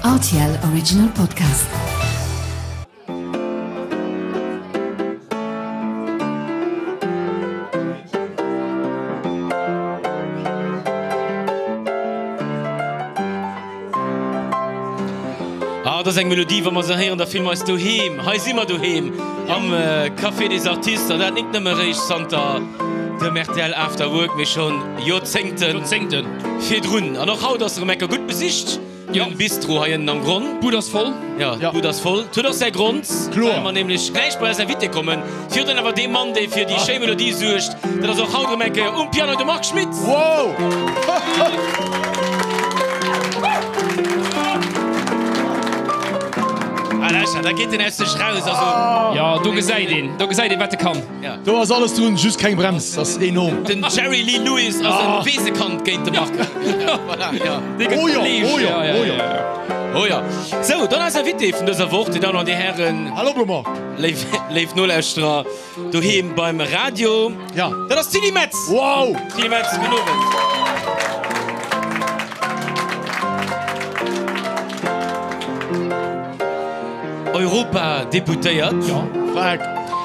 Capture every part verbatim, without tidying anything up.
R T L Original Podcast. Ah, dat ass eng Melodie, wa mer se héieren, da fille mer eis doheem. Hei si mer doheem am Café des Artistes, an dat nik nëmme réischt zanter dem R T L After Work, mee schonn Joerzéngten Joerzéngten virdrun. An och haut ass erëm eng Kéier gutt besicht, Jo. den Bistro hei ënnen am Gronn. D'Bud ass voll. Jo, d'Bud ass voll. Et huet och säi Grond, Kloer. well mer nämlech gläich bei eis Invité kommen. Virdrun awer dee Mann, dee fir déi schéi Melodie suergt, dat ass och haut erëm eng Kéier um Piano de Marc Schmitt. Wow! Ah, lauschter, da geet en aus sech raus, also. Jo, do gesäit een, do gesäit een, wat e kann. Ja. Do ass alles drun, just keng Brems. Dat ass enorm. Den Jerry Lee Lewis ass en Weesekand géint de Marc. Voilà, ja. Dee gëtt Oh jo, fleeg. oh jo, Ja, ja, oh jo. ja, ja. Oh ja. Sou, dann eis Invité vun dëser Woch, Dir Dammen an Dir Hären, Hallo Blommer. léif, léif Nolauschterer doheem beim Radio. Ja. Dat ass d'Tilly Metz. Wow! Tilly Metz, gudden Owend. Europadeputéiert. Ja. Frag.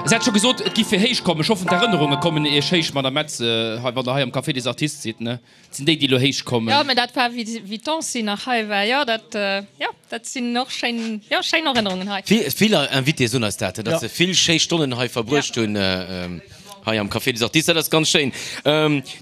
Se hat scho gesot, et giff fir héich kommen. Ech hoffen, d'Erënnerunge kommen Iech héich, Madame Metz, hei, wann Der hei am Café des Artistes sidd, ne? Et sinn déi, déi elo héich kommen. Jo, mä dat war, wéi wéi d'Ancy nach hei war. Jo, dat, jo, dat sinn och schéin, jo, schéin Erënnerungen hei. Vill, vill Invitéë soen eis dat, datt Ja. se vill schéi Stonnen hei verbruecht hunn, hei am Café des Artistes. Dat ass ganz schéin.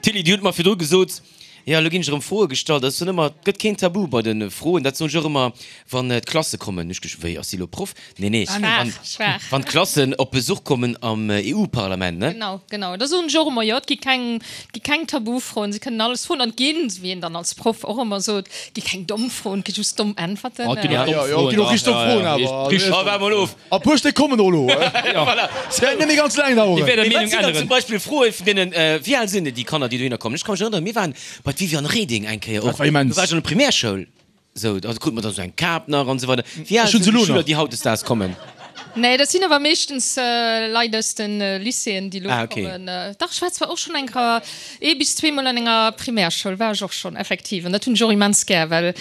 Tilly, Dir hutt mer virdru gesot, jo, elo ginn ech erëm Froe gestallt. Dat ass dann ëmmer, et gëtt keen Tabu bei de Froen. Dat soen ech och ëmmer, wann d'Klasse kommen. Ech gech, wéi, ass si elo Proff? Nee, nee, Schwaach, wann, schwaach. wann d'Klassen op Besuch kommen am E U-Parlament, ne? Genau, genau. Da soen ech och ëmmer, jo, et gi keng, et gi keng Tabufroen, si kënnen alles froen. An et ginn, wéi een dann als Proff och ëmmer sot, et gi keng domm Froen, et gi just domm Äntwerten. Oh, et ginn och Ja, domm jo, et ginn och Froen, richteg domm ja, Froen ja, awer. Richteg. Oh, waart mol of. A puer Stéck kommen och elo. Voilà. Se wäert net méi ganz laang daueren. Déi wäert der Mee wat Meenung sinn dann änneren. zum Beispill Froe vun deenen, wéi al sinn déi Kanner, déi dohinner kommen? Ech ka mech erënneren, mir waren bei d'Viviane Reding eng Kéier och. Dat war immens. Do war ech an der Primärschoul. Sou, da krute mer dann esou eng Kap nach an esou weider. Wéi al Ech hunn sinn se déi elo Schüler, nach. déi hautdesdaags kommen? Nee, dat sinn awer meeschtens Leit aus de Lycéeën, déi elo Ah, okay. kommen. Dach, ech war zwar och schonn eng Kéier, ee bis zweemol an enger Primärschoul war ech och schonn, effektiv. An dat hunn ech och immens gär, well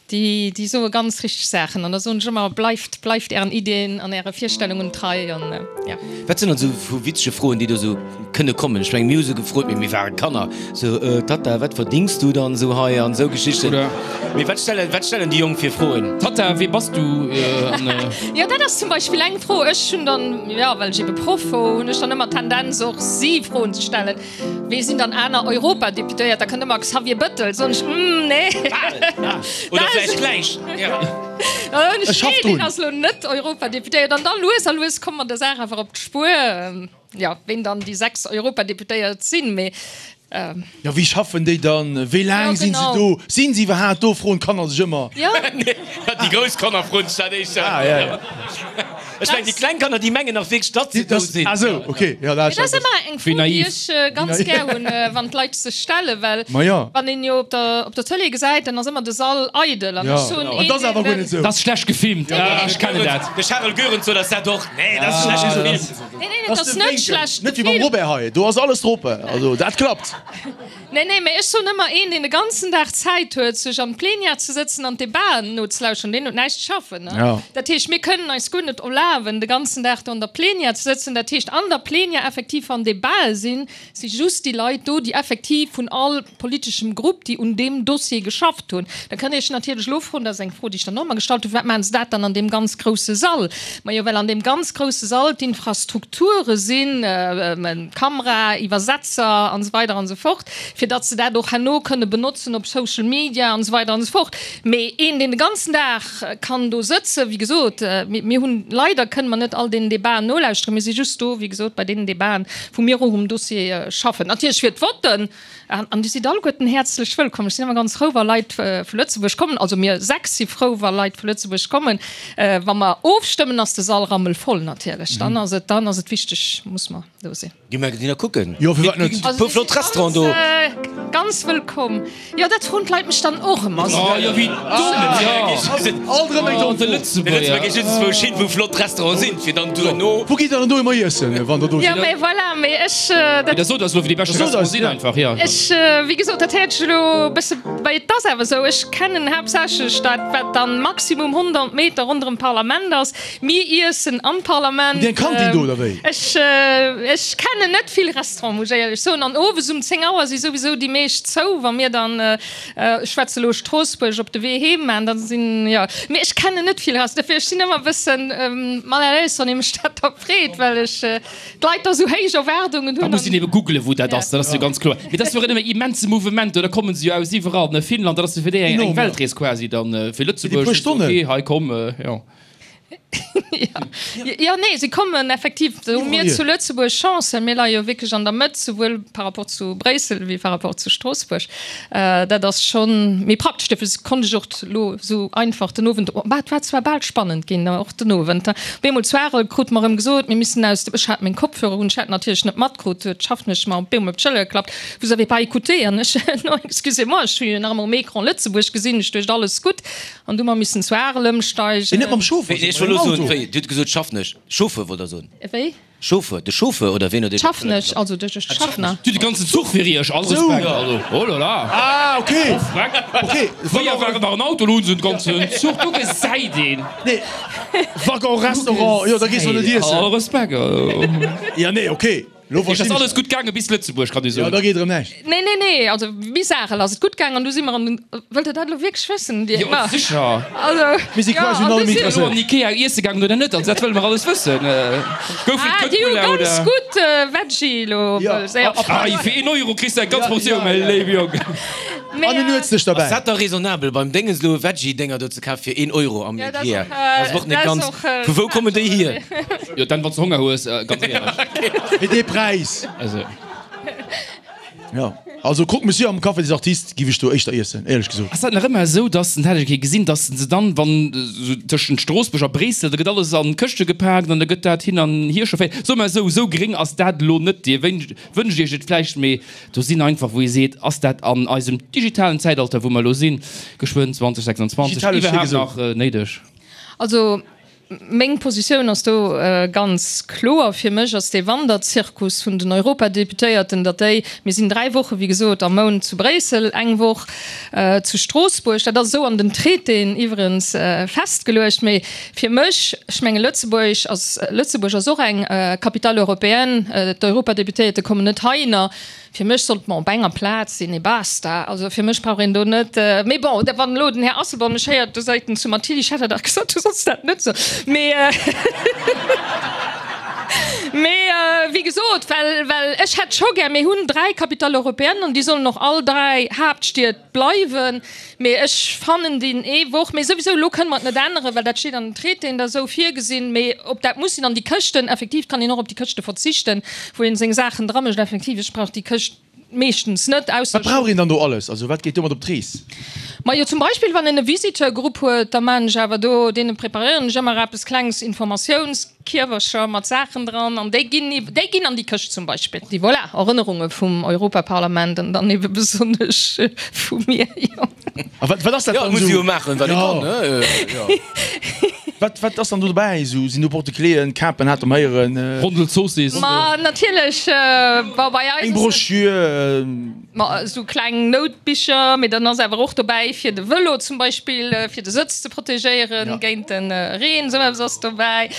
déi, déi soe ganz richteg Saachen. An da soen ech ëmmer, Bleift, bleift ären Iddien an äre Virstellungen trei. An ja. Wat sinn dann esou vu witzege Froen, déi do esou kënne kommen? Ech mengen, mir hu sou gefrot, mee mir ware Kanner, sou, äh, Tatta, wat verdings du dann esou hei an esou Geschichten. Oder. Mee wat stellen, wat stellen déi Jonk fir Froen? Tatta, wee bass du? An, äh. Jo, dat ass zum Beispill eng Fro. Ech hunn dann, jo, well ech ebe Proff wor, hunn ech dann ëmmer d'Tendenz och si Froen ze stellen. Wee sinn dann aner Europadeputéiert? Da kënnt ëmmer Xavier Bëttel. Soen ech, Hm, nee. Oder vläicht gläich. Ja. Ech Ech schaff nee, deen drun. ass lo net Europadeputéiert. An da lues a lues komme mer der Saach awer op d'Spuer, jo, ween dann déi sechs Europadeputéiert sinn. Mee Jo, wéi schaffen déi dann? Wéi laang Jo, sinn se genau. do? Sinn se iwwerhaapt do? Froen d'Kanner sech ëmmer. Jo. Déi grouss Kanner froen sech dat éischter. Ah, ja, ja. Ech mengen, déi kleng Kanner, déi mengen nach wierklech, datt se do sinn. Ah sou, okay. Ja, dat Dat ass ëmmer eng Fro, Wéi déi naiv. ech ganz gär hunn, wann d'Leit sech stellen, well Ma ja. wann een jo op der, op der Tëlee gesäit, dann ass ëmmer de Sall eidel. An Ja. ech soen, An dat ass awer guer net sou. Dat ass schlecht gefilmt. Ja, ech kennen dat. De Charel Goerens sot eis dat och. Nee, dat ass schlecht gefilmt. Nee, nee, Dat dat ass ass de net Wénkel. schlecht Net wéi beim gefilmt. Robert hei, do ass alles drop. Also dat klappt. Nee, nee, mee ech soen ëmmer, een, deen de ganzen Dag Zäit huet, sech an d'Plenière ze sëtzen an d'Debaten nozelauschteren, deen huet näischt ze schaffen. Ne? Ja. Dat heescht, mir kënnen eis guer net erlaben, de ganzen Dag do an der Plenière ze sëtzen. Dat heescht, an der Plenière effektiv wann Debatë sinn, si just déi Leit do, déi effektiv vun all politeschem Grupp, déi un deem Dossier geschafft hunn. Da kënnt Dir iech natierlech elo froen, dat ass eng Fro, déi ech dann och ëmmer gestallt hunn, Firwat maachen se dat dann an deem ganz grousse Sall? Majo, well an deem ganz grousse Sall d'Infrastrukture sinn, Kamera, Iwwersetzer an esou weider an esou fort, fir datt se dat och herno kënne benotzen op Social Media an esou weider an esou fort. Mee een, deen de ganzen Dag kann do sëtzen, wéi gesot, mir hunn, leider kënne mer net all deenen Debaten nolauschteren, mir si just do, wéi gesot, bei deenen Debaten, wou mir och um Dossier schaffen. Natierlech fir d'Votten, an Dir sidd alleguerten häerzlech wëllkomm. Ech sinn ëmmer ganz frou, wa Leit vu Lëtzebuerg kommen, also mir sechs si frou, wa Leit vu Lëtzebuerg kommen. Wa mer ofstëmmen, ass de Sall rammelvoll natierlech, dann ass et, dann ass et wichteg, muss mer do sinn. Gi mer ginn da kucken. Jo, firwat net? E puer flott Restauranten do. Ganz, Ganz wëllkomm. Jo, dat froen d'Leit mech dann och ëmmer. Oh jo, wéi domm, jo. Alt erëm eng Oh, domm de Fro. Lëtzebuerger. De Lëtzebuerger geet just wou hin, wou flott Restauranten sinn, fir dann duerno. Wou gitt der dann do ëmmer iessen, wann der do Jo, sidd? mee voilà, mee ech, dat. Mee da sot eis elo, wou déi beschte Sot eis, Restauranten sinn ja. einfach, jo. Ech, wéi gesot, dat héiert sech elo e bësse, mee et ass awer esou, ech kennen haaptsächlech dat, wat dann maximum honnert Meter ronderëm d'Parlament ass. Mir iessen am Parlament. Hutt Dir eng Kantin do, oder wéi? Ech, ech kennen net vill Restauranten, muss ech éierlech soen. An owes um zéng Auer si souwisou déi meescht zou, wa mir dann, ech schwätze elo Stroossbuerg, op de Wee heem maachen, da sinn, jo. Mee ech kennen net vill Restaurants, dofir ech sinn ëmmer e bëssen mal à l'aise, wann ee mech dat da freet, well ech d'Leit da sou héich Erwaardungen Da hunn. muss een ebe googlen, wou dat ass, dat ass jo ganz kloer. Mee dat ass jo och ëmmer immense Mouvement, do, da kommen se jo aus iwwerall, ne, Finnland, dat ass jo fir déi eng, eng Enorm, ja. Weltrees quasi dann, fir Fir déi Lëtzebuerg, puer Stonnen. okay, hei komm, jo. Ja, ja nee, se kommen effektiv. Do hu mir Iwwerall zu Lëtzebuerg Chance, well mir leie jo wierklech an der Mëtt, souwuel par rapport zu Bréissel wéi par rapport zu Stroossbuerg. Dat ass schonn méi praktesch. Dofir konnt ech och elo esou einfach den Owend, bah, et war zwar bal spannend ginn, och den Owend. Op eemol zu Arel krute mer erëm gesot, mir missten aus dem, ech hat meng Kopfhörer un, ech hat natierlech net matkrut, huet d'Schaffnesch mer op eemol op d'Schëller geklappt, Vous avez pas écouté? An ech, Non, excusez-moi, ech hu jo nach ëmmer um Ecran Lëtzebuerg gesinn, ech duecht, alles gutt. An du mer missen zu Arel ëmsteigen. Mee net mam Chauffeur, Wéi, ech sondern wollt mam elo soen, Auto. wéi, Dir hutt gesot Schaffnesch. Chauffeur wollt Der soen. Wéi? Chauffeur, de Chauffeur oder ween huet Iech op d'Schëller Schaffnesch, geklappt? also de Schaffner. Du, de ganzen Zuch fir Iech, all Respekt, also, oh là là. Ah, okay. Oh, freck. Okay. Fréier war et nach en Auto, elo hunn se en ganzen Zuch, do gesäit een. Nee, Waggon, Restaurant, jo, da gees du net iessen. All Respekt, also. Ja, nee, okay. Lo Iech ass verstinn ech alles gutt gaange bis Lëtzebuerg, kann ee Ja, soen. da geet erëm näischt. Nee, nee, nee, also bis Arel ass et gutt gaangen an du si mer an den, wëllt Der dat elo wierklech wëssen? Dir, Jo, ma, sécher. also, Mir si ja, quasi an un du allem si, Elo interesséiert. an Ikea iesse gaangen oder net? Also dat wëlle mer alles wëssen. Gouf et ah, déi hu Köttbullar ganz oder? gutt äh, Veggie elo Ja. wëlls, ja. Ah, fir een Euro kriss de eng ganz Ja, Portioun, ja, mäi ja. léiwe Jong. Mee, An en äh, Nuetsdësch Ass derbäi. dat da raisonnabel beim Déngens elo Veggie-Dénger do ze kafen fir een Euro am Ja, dat Ikea? ass och, äh, Dat ass och net dat ass ganz. och, äh, Vu wou kommen déi hier? Jo, dann wann s de Honger hues, ganz éierlech. Fir dee Präis. Also. Ja. Also Croque Monsieur am Café des Artistes giff ech do éischter iessen, éierlech gesot. Ass dat nach ëmmer esou, dass, dat hat ech eng Kéier gesinn, dass se dann, wann esou tëschent Stroossbuerg a Bréissel, da gëtt alles an Këschte gepaakt an da gëtt dat hin an hier chaufféiert. Soe mer esou, esou gréng ass dat elo net. Dir wënscht, wënscht iech et vläicht, mee do sinn einfach, wou ee seet, ass dat an eisem digitalen Zäitalter, wou mer elo sinn, geschwënn zweitausendsechsundzwanzeg, Digital hues iwwerhaapt vill nach néideg? Also meng Positioun ass do ganz kloer. Fir mech ass dee Wanderzirkus vun den Europadeputéierten, datt déi, mir sinn dräi Woche wéi gesot am Mount zu Bréissel, eng Woch zu Stroossbuerg, dat ass esou an den Traitéen iwwerens festgeluecht. Mee fir mech, ech menge Lëtzebuerg ass, Lëtzebuerg ass och eng Capitale européenne, d'Europadeputéierte kommen net heihinner. Fir mech sollt mer op enger Plaz sinn, et basta. Also fir mech brauch een do net, mee bon, da wann elo den Här Asselborn mech héiert, da seet en zu mer, Tilly, ech hat der dach gesot, du solls dat net soen. Mee, mee wéi gesot, well, well ech hätt scho gär, mir hunn dräi Capitales européennes an déi sollen och all dräi Haaptstied bleiwen. Mee ech fannen deen ee Woch, mee souwisou elo kënne mer et net änneren, well dat steet an den Traitéen da esou virgesinn. Mee ob dat muss sinn an déi Këschten, effektiv kann een och op déi Këschte verzichten, wou een seng Saachen dramécht. Effektiv, ech brauch déi Këscht meeschtens net, ausser Wat brauch een dann do alles? Also wat geet domat op d'Rees? Majo, zum Beispill wann een e Visiteurgrupp huet, da maan ech awer do, deene preparéieren ech ëmmer eppes klengs, Informatiounskierwercher mat Saachen dran an déi ginn, déi ginn an déi Këscht zum Beispill. Déi, voilà, Erënnerunge vum Europaparlament an dann ebe besonnesch vu mir, jo. A wat, wat ass dat Jo, dann muss esou? jo maachen, wat e Jo. kann, ne? Jo. Wat, wat ass dann do dobäi? Esou, sinn do Porte-cléen, Kapen hat um Héieren? Rondel Zoossiss. Ma natierlech, bon, bei eis Eng ass et. Broschür. Ma esou kleng Noutbicher, mee dann ass awer och dobäi fir de Vëlo zum Beispill, fir de Sëtz ze protegéieren Ja. géint de Reen, esou eppes ass dobäi.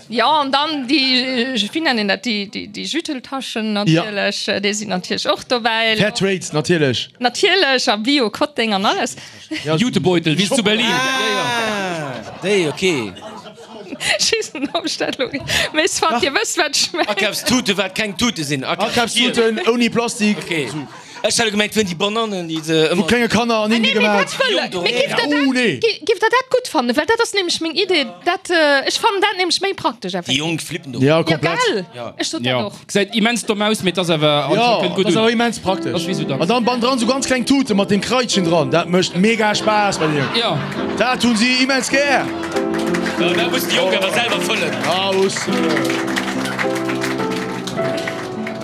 Jo, an dann déi, wéi nennt een dat, déi, déi, déi Jüteltaschen Ja. natierlech, déi sinn natierlech och dobäi. Fair Trade, natierlech. Natierlech, a Bio-Kotteng an alles. Ja. Jutebeutel, wéi zu Berlin. Ah, déi, okay. Schiessen op Stellung. Mee soit, Dir wësst, wat ech mengen. Akafstute, wat keng Tute sinn. Akafstuten ouni Plastik. Okay. Ech hat gemengt, wien déi Banannen, déi se Vu ëmmer. klenge Kanner an Indie Nee, mee gemaach. dat wëll. Mee giff der Oh, dat, nee. giff der dat gutt fannen? Well dat ass nämlech meng Idee. Dat, ech fannen dat nämlech méi praktesch Déi effektiv. Jonk flippen do. Ja, Ja, komplett. gell? Ja. Ech sot dat Ja. och. Gesäit immens domm aus, mee et ass awer, also Ja, kënnt gutt dat ass un. awer immens Dat praktesch. ass wéi sou dacks. An dann bannendran sou ganz kleng Tute mat dem Kraitchen dran. Dat mécht mega Spaass bei deenen. Ja. Dat hunn si immens gär. Ja, dat mussen déi Jonk awer selwer fëllen. Ja, muss.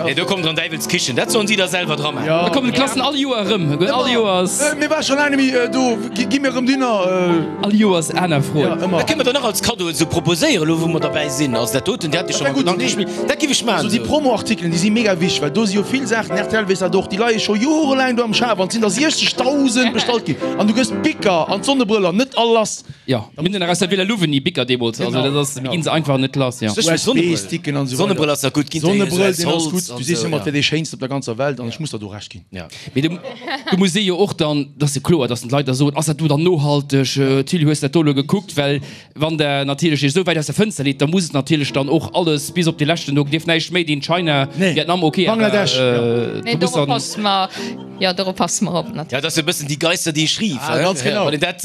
Nee, do kommt der an Däiwelskichen. Dat sollen si da selwer dra maachen. Da kommen d'Klassen all Joer erëm. All Joers. Mir war scho laang net méi do. Gi mir erëm Dinner. All Joers aner Froen. Ja, ëmmer. Dat kënne mer dann nach als Kaddo esou proposéieren, elo wou mer derbäi sinn. Also dat doten, Dir hat jo scho mam Gedanke gespillt. Dat giff ech maachen. Also déi Promo-Artikelen, déi si mega wichteg, well do si jo vill Saachen, rtl weess dat och, déi leie scho jorelaang do am Schaf an et sinn der siechzegdausend bestallt ginn an du gëss d'Bicker an d'Sonnebrëller net all lass. Jo, mir hunn nach aus der Villa Louvigny Bicker deemools, also dat ass, mir ginn se einfach net lass, jo. U S B-Sticken an esou weider. Sonnebrëll ass nach gutt, ginn der Sonnebrëll, deen ass gutt. Du sees ëmmer, et wär dee schéinsten op der ganzer Welt an ech muss der do Recht ginn. Ja. Mee du, du muss ee jo och dann, dat ass jo kloer, dass d'Leit da soen, ass dat do dann nohalteg, Tilly, hues dat do elo gekuckt? Well wann der natierlech iech esou wäit aus der Fënster leet, da muss et natierlech dann och alles bis op de leschten, do dierf näischt méi deen China, Nee. Vietnam, ok, awer Bangladesch, jo. Nee, du muss dorop dann. passe mer, jo, dorop passe mer op, natierlech. Ja, dat ass e bëssen die Geister, die ich rief. Ah, ganz genau. Wann een dat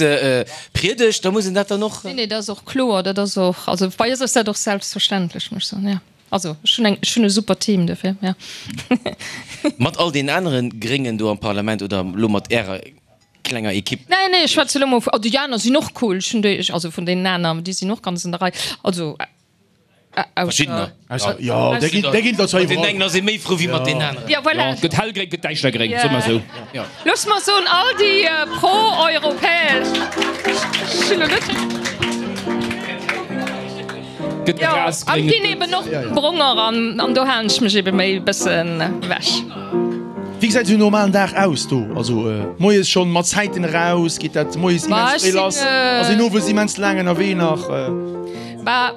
priedegt, da muss een dat dann och. Nee, nee, dat ass och kloer, dat ass och, also bei eis ass dat och selbstverständlech, muss ech soen, jo. Also ech hunn eng, ech hunn e super Team dofir, jo. Mat all deenen anere Gréngen do am Parlament oder elo mat Ärer klenger Ekipp? Nee, nee, ech schwätze elo mol vu, oh, déi aner sinn och cool, ech hunn déi, also vun deenen aner, déi sinn och ganz an der Rei, also Verschiddener. Ausser, jo, där ginn, där ginn der zwar Mat deenen iwwerall. engen ass ee méi frou wéi mat deenen aneren. Ja, voilà. Jo, et gëtt hellgréng, et gëtt däischtergréng, soe mer esou. Jo. Looss mer soen, all déi pro-europäesch, ech hunn elo net. Gëtt Jo, an grasgréng, et et ginn gëtt. eben och bronger an, an do halen ech mech ebe méi e bëssen ewech. Wéi gesäit esou en normalen Dag aus do? Also moies schonn mat Zäiten eraus, geet dat moies Bah, immens ech fréi lass? sinn, Ass een owes immens laang ënnerwee nach? Bah,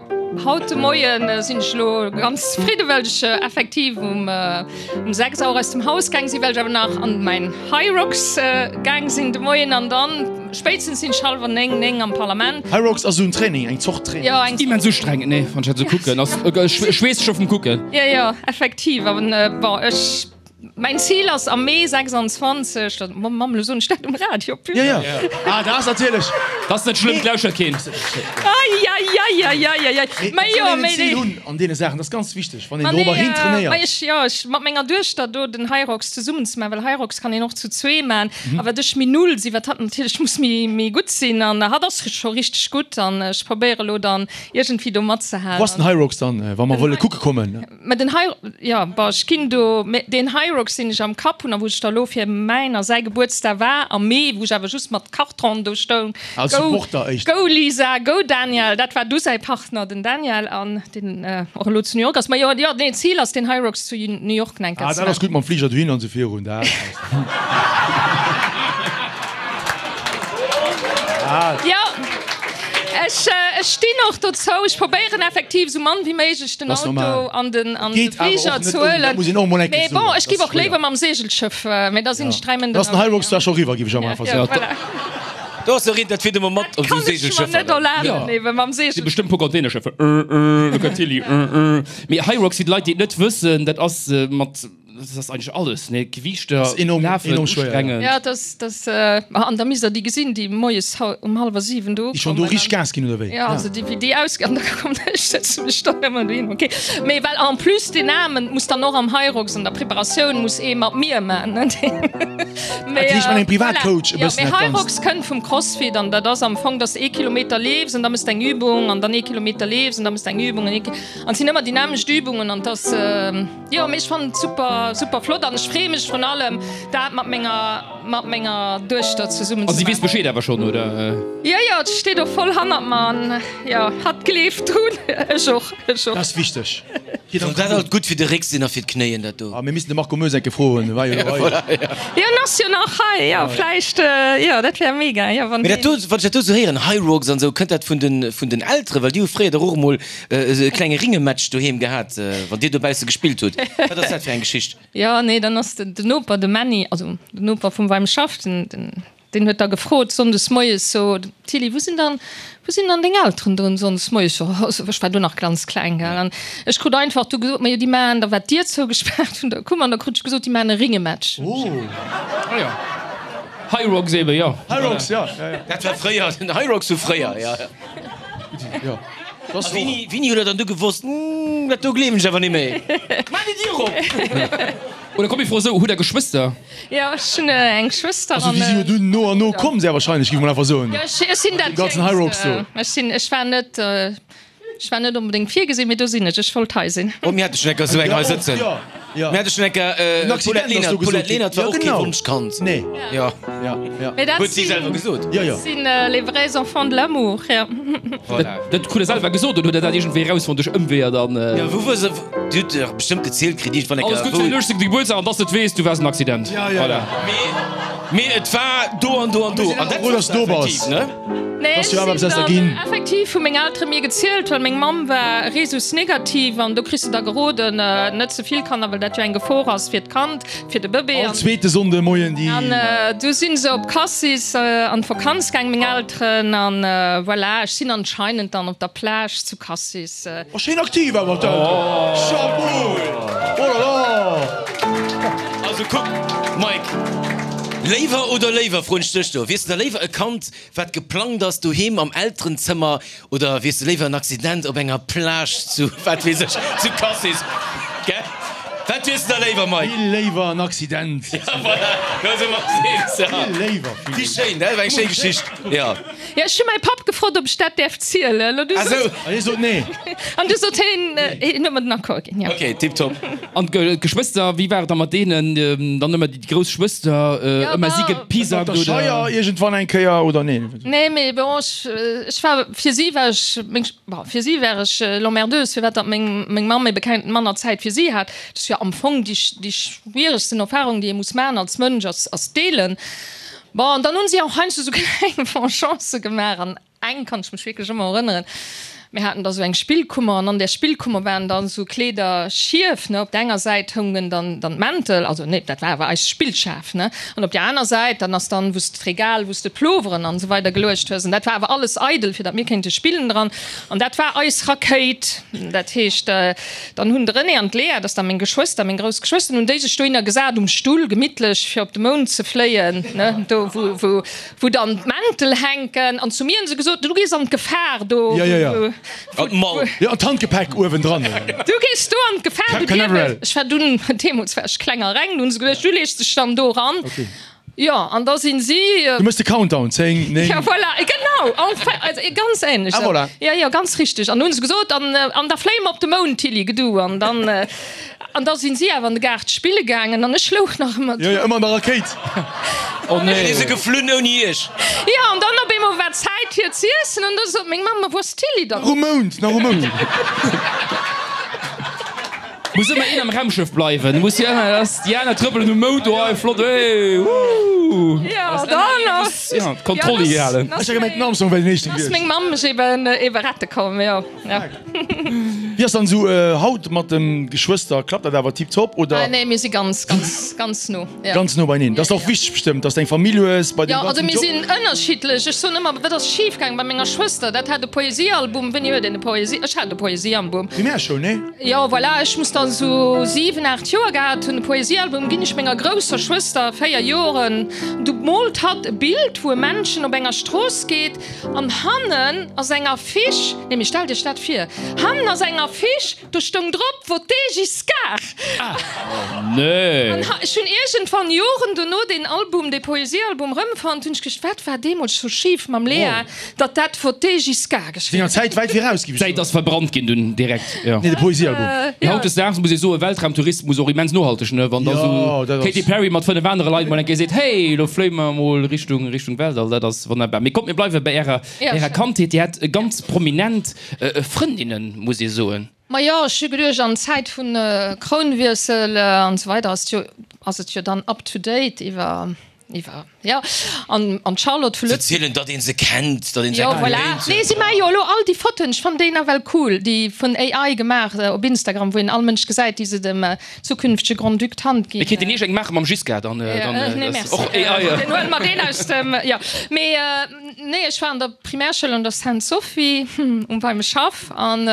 haut de Moien sinn ech elo ganz zefridden, well ech effektiv um um sechs Auer aus dem Haus gaang sinn, well ech awer nach an mäin Hyrox gaang sinn de Moien an dann spéitstens sinn ech hallwer néng, néng am Parlament. Hyrox ass esou en Training, eng Zort Training. Jo, eng. Immens ustrengend, nee, wann ech dat esou kucken. Ass, ech weess scho vum Kucken. Jo, jo, effektiv. An bon, ech. Mäin Zil ass am Mee sechsundzwanzeg, dat, Mamm, elo soen ech dat um Radio, Jo, jo. Ah, dat ass natierlech. Dat ass net schlëmm, et lauschert keen. Eieieiei. Mee Mä et jo, soll een en mee Zil nee. hunn an deene Saachen, dat ass ganz wichteg, wann een Ma dorobber nee, hin ma trainéiert. ech, jo, ech mat menger Duechter do den Hyrox zesummen ze maachen, well Hyrox kann een och zu zwee maachen, a wat ech méi null sinn, wat hatt natierlech muss méi, méi gutt sinn, an hatt ass scho richteg gutt, an ech probéiere elo dann iergendwéi do Wou ass den matzehalen. Hyrox dann, wa mer Den wëlle Hy. kucke kommen? Mä den Hy, jo, bon, ech ginn do, mä deen Hyrox, deen ech am Kapp hunn a wou ech da elo fir mäin a säi Gebuertsdag war am Mee, wou ech awer just mat Karton do stoung, Als Go, Supporter éischter. go Lisa, go Daniel, dat war du säi Partner, den Daniel, an deen och elo zu New York ass. Mä jo, jo, nee, d'Zil ass, den Hyrox zu New York enker Ah, ze dat ass maachen. gutt mam Fliger dohin an esou virun, dat ass. Jo, ech, ech stinn och dozou. Ech probéieren effektiv esou mann wéi méiglech den Dat ass Auto normal. an den, an de Geet awer Fliger och net ze ouni, dat huelen. muss een och mol eng Kéier Mee bon, soen, ech dat giff ass och schwéier. léiwer mam Segelschëff, mee da sinn ech dräi Méint Da ass den ënnerwee, Hyrox ja. zwar scho riwwer, giff ech am einfach Ja, soen. voilà. Do ass der een, dat fiert ëmmer mat Dat op esou kann ech mer Segelschëffer. net erlaben, Ja. eben mam Si Segelschëff. bestimmt puer Containerschëffer. Äh, äh, do kënnt Tilly, äh, äh. Mee Hyrox, fir d'Leit, déi et net wëssen, dat ass mat Das ass eigentlech alles, ne? Gewiichter, Ass enorm, Lafen, enorm schwéier, ja. ustrengend. Ja, das, das, äh, an da misst der déi gesinn, déi moies um hallwer siwen do Déi schonn do kommen richteg an Gas ginn, oder wéi? Ja, also déi, wéi déi aus, an da kommt ech sëtze mech dann ëmmer dohin, okay. Mee well en plus deen Aarmen muss dann och am Hyrox an der Preparatioun muss ee mat mir man, ne? Mee, Dat heescht, mat engem voilà. Privatcoach e Ja, bëssen mee dat Ganzt. Hyrox kënnt vum Crossfit an dat ass am Fong, dass de ee Kilometer leefs an da mëss de eng Übung an dann ee Kilometer leefs an da mëss de eng Übung an ee Ki, an et sinn ëmmer déi nämmlecht Übungen an dass, jo, mee ech fannen et super. Super flott an ech free mech vrun allem dat mat menger mat menger Duechter zesummen A ze si weess maachen. Bescheed awer schonn, oder? Jo jo, et steet och voll hannert mer an jo, hatt gleeft drun, ech och, ech och. Dat ass wichteg. Soll dat alt gutt fir de Réck sinn a fir d'Knéien, dat do? Ah, mir missten de Marco Moes enke froen, e war jo elo hei. Jo, en ass jo nach hei, jo, vläicht, jo, dat wär mega, jo, wann Mee dat deen. do, wann ech dat do sou héieren, Hyrox an esou, kënnt dat vun den vun den Elteren? Well déi hu fréier dach och emol esou e klenge Ringematch doheem gehat, wann dir dobausse gespillt hutt. Wat ass dat fir eng Geschicht? Jo, nee, dann ass den Noper, de Männi, also den Noper vum weim Schaff, den, den, den huet da gefrot sonndes moies so, Tilly, wou sinn dann, wou sinn dann deng Elteren drun sonndes moies? So, also ech war du nach ganz kleng, gell, an ech krut einfach du gesot, ma jo, déi maachen, da war d'Dier zougespaart vun der Kummer, an da krut ech gesot, déi maachen e Ringematch. Oh. Ah jo. Hyrox eben, jo. Hyrox, ja, ja, ja. Dat war fréier, den Hyrox vu fréier, ja. Jo. A wéini, wéini hutt Der dann du gewosst, Hm, dat do gleewen ech awer net méi? Maach déi Dier op! Oder komm, ech froe sou, Hutt Der Geschwëster? Jo, ech hunn eng Schwëster Also an. déi si jo dunn no an no komm, sehr wahrscheinlech, géif ech mol einfach soen. Jo, ech, ech sinn dat Dee ganzen Hyrox do. Jéngst. Ech sinn, ech war net, ech war net onbedéngt virgesinn, mee do sinn ech. Ech wollt hei sinn. Oh, mir hate schonn enker esou eng hei sëtzen. Jo, Ja. Mir hate schonn eng Kéier, En Accident d'Paulette ass Lenert, do gesot d'Paulette ginn. Lenert war Ja, och kee genau. Wonschkand. Nee. Ja. Ja, ja. Mee dat Huet si sinn, selwer gesot. Ja, ja. sinn les vrais enfants de l'amour, ja. Voilà. Dat krut der selwer gesot oder huet der dat iergendwéi erausfonnt duerch Ëmweeër dann? Ja, wou wor se? Dir hutt dach bestëmmt gezielt kritt iergendwann eng Alles Kéier, Gutt fir den wou. uechzéngte Gebuertsdag an dass de et weess, du waars en Accident. Ja, ja, Voilà. ja. Mee, mee et war do an do an do. An dat Froh, dass wosst du do bass. effektiv, ne? Nee, Dass ech du awer sinn eppes aus der dann ginn. effektiv, hu meng Eltere mir gezielt, well meng Mamm war Rhesus negativ an do kriss de da geroden, net ze vill Kanner, well dat jo eng Gefor ass fir d'Kand, fir de Bëbee. All zweete Sonnde Moien déi. An du sinn se op Cassis an d'Vakanz gaang, meng Elteren, an voilà, ech sinn anscheinend dann op der Plage zu Cassis. Oh, schéin aktiv awer d'Elteren. Chapeau! Oh là là! Also kuck, Mike, léiwer oder léiwer, froen ech dech do, wiers de da léiwer e Kand, wat geplangt ass doheem am Elterenzëmmer, oder wiers de léiwer en Accident op enger Plage zu, wat weess ech, zu Cassis? Gell? Wat wiers de da léiwer, Mike? Vill léiwer en Accident. Ja, voilà, do si mer ons eens, ja. Vill léiwer, vill Wéi léiwer. schéin, dat war eng schéi Geschicht, ja. Ja, ech hu mäi Papp gefrot, ob ech dat däerf zielen. An du Ah sou. sot, An hie sot nee. an du sot hien, hien huet mer den Accord ginn, ja. Ok, tiptop. An d'Geschwëster, wéi war et da mat deenen? Dann ëmmer déi grouss Schwëster, Ja, ëmmer si bah. gepisackt Op der oder? Scheier iergendwann eng Kéier oder nee? Nee, mee bon, ech, ech war, fir si war ech, meng, bon, fir si war ech l'emmerdeuse, firwat datt meng, meng Mamm ebe keng, manner Zäit fir si hat. Dat ass jo am Fong déi, déi schwieregsten Erfahrung, déi ee muss maachen als Mënsch, ass, ass deelen. Bon, an dann hunn si och heiansdo sou kleng Vengeancë gemaach an eng kann ech mech wierklech ëmmer erënneren, Mir haten da sou eng Spillkummer an an där Spillkummer waren dann sou Kleeder schief, ne, op der enger Säit houngen dann dann d'Mäntel, also nee, dat war awer eis Spillschaf, ne, an op der aner Säit, dann ass dann, wou s de d'Regal, wou s de d'Ploveren an esou weider geluecht hues, an dat war awer alles eidel, fir datt mir kéinte spillen dran, an dat war eis Rakéit. Dat heescht, dann hunn de René an d'Léa, dat ass da meng Geschwëster, meng grouss Geschwëster, hunn déi sech dohinner gesat um Stull, gemittlech, fir op de Mound ze fléien, ne, do wou, wou, wou dann d'Mäntel hänken, an zu mir hunn se gesot, du gees an d'Gefahr do, Ja, ja, ja. wou, An d'Mall. Ja, an d'Handgepäck uewendran. Du gees do an d'Gefahr, du Cap Canaveral. dierf. Ech war dunn, deemools war ech kleng a reng, du hunn se geduecht, du lees dech dann do eran. Okay. Jo, an da sinn si. Du méchs de Countdown, zéng, néng. Ja, voilà, genau, enfin, also ganz ähnlech. Ah, voilà. Ja, ja, ganz richteg. An hunn se gesot, an, an da fléie mer op de Mound, Tilly, gedu. An dann, an da sinn si awer an de Gaart spille gaangen an ech louch nach ëmmer Jo, jo, ëmmer an der Rakéit. Oh nee. Déi si geflunn ouni iech. Jo, an dann op eemol war Zäit fir z'iessen an da sot meng Mamm, Ma wou ass d'Tilly dann? Nach um Mound, nach um Mound. Muss ëmmer een am Raumschëff bleiwen, muss jo ëmmer, dass déi aner trëppelen um Mound, oh flott, hey, woo. Jo, dann ass, Ja, d'Kontroll ja, halen. dann Ech hat gemengt, den Armstrong wär den éischten ass gewiescht. meng Mamm mech eben, eben rette komm, jo, ja. Wéi ass dann esou haut mat de Geschwëster? Klappt dat awer tiptop oder? Ah nee, mir si ganz, ganz, ganz no, ja. Ganz no beineen. Dat ass och wichteg bestëmmt, dass de eng Famill hues bei deem Jo, also ganzen mir Job. sinn ënnerschiddlech. Ech soen ëmmer, wat ass schif gaang bei menger Schwëster? Dat hat e Poesiealbum. Wéini huet een e Poesie? Ech hat e Poesiealbum. Primärschoul, nee? Jo, voilà, ech muss dann esou siwen, aacht Joer gehat hunn. E Poesiealbum ginn ech menger grousser Schwëster, véier Joren. Du moolt hatt e Bild, wou e Männchen op enger Strooss geet an hannen ass eng Affiche, nee, mee stellt iech dat vir, hannen ass eng Affiche, do stoung drop, Votez Giscard! Nee. An ech hunn iergendwann Joren dono deen Album, dee Poesiealbum erëmfonnt, hunn ech geduecht, wat war deemools sou schif mam Léa, datt dat Votez Giscard geschriwwen Senger Zäit wäit viraus, géif ech D'Säit soen. ass verbrannt ginn dunn direkt, jo. Nee, de Poesiealbum. Mee hautdesdaags muss ee soen, Weltraumtourismus och immens nohalteg, ne? Wann da Jo, sou dat ass. Katy Perry mat fënnef anere Leit mol eng Kéier seet, hey, lo fléie mer mol Richtung, Richtung Weltall, dat ass wonnerbar. Mee kommt, mir bleiwe bei ärer, Ja, ärer schön. Kandheet. Dir hat ganz prominent Frëndinnen, muss ee soen. Ma jo, ech hu geduecht, an Zäit vun Krounwiessel an esou weider ass jo, ass et jo dann up to date iwwer, iwwer, jo, an, an d'Charlotte vu Ze Lëtz. zielen, datt ee se kennt, datt ee se Jo, voilà. geléint Nee, huet. si maache jo elo all déi Fotoen, ech fannen déi nawell cool, déi vun A I gemaach op Instagram, wou een all Mënsch gesäit, déi se dem zukünftege Grand-Duc d'Hand Mir ginn. kéinten Iech eng maache mam Giscard, dann, Ja, dann, nee, ass merci. och A I. Dann huele mer deen aus dem, jo. Mee, nee, ech war an der Primärschoul an der Sainte-Sophie, um Weimeschhaff, an,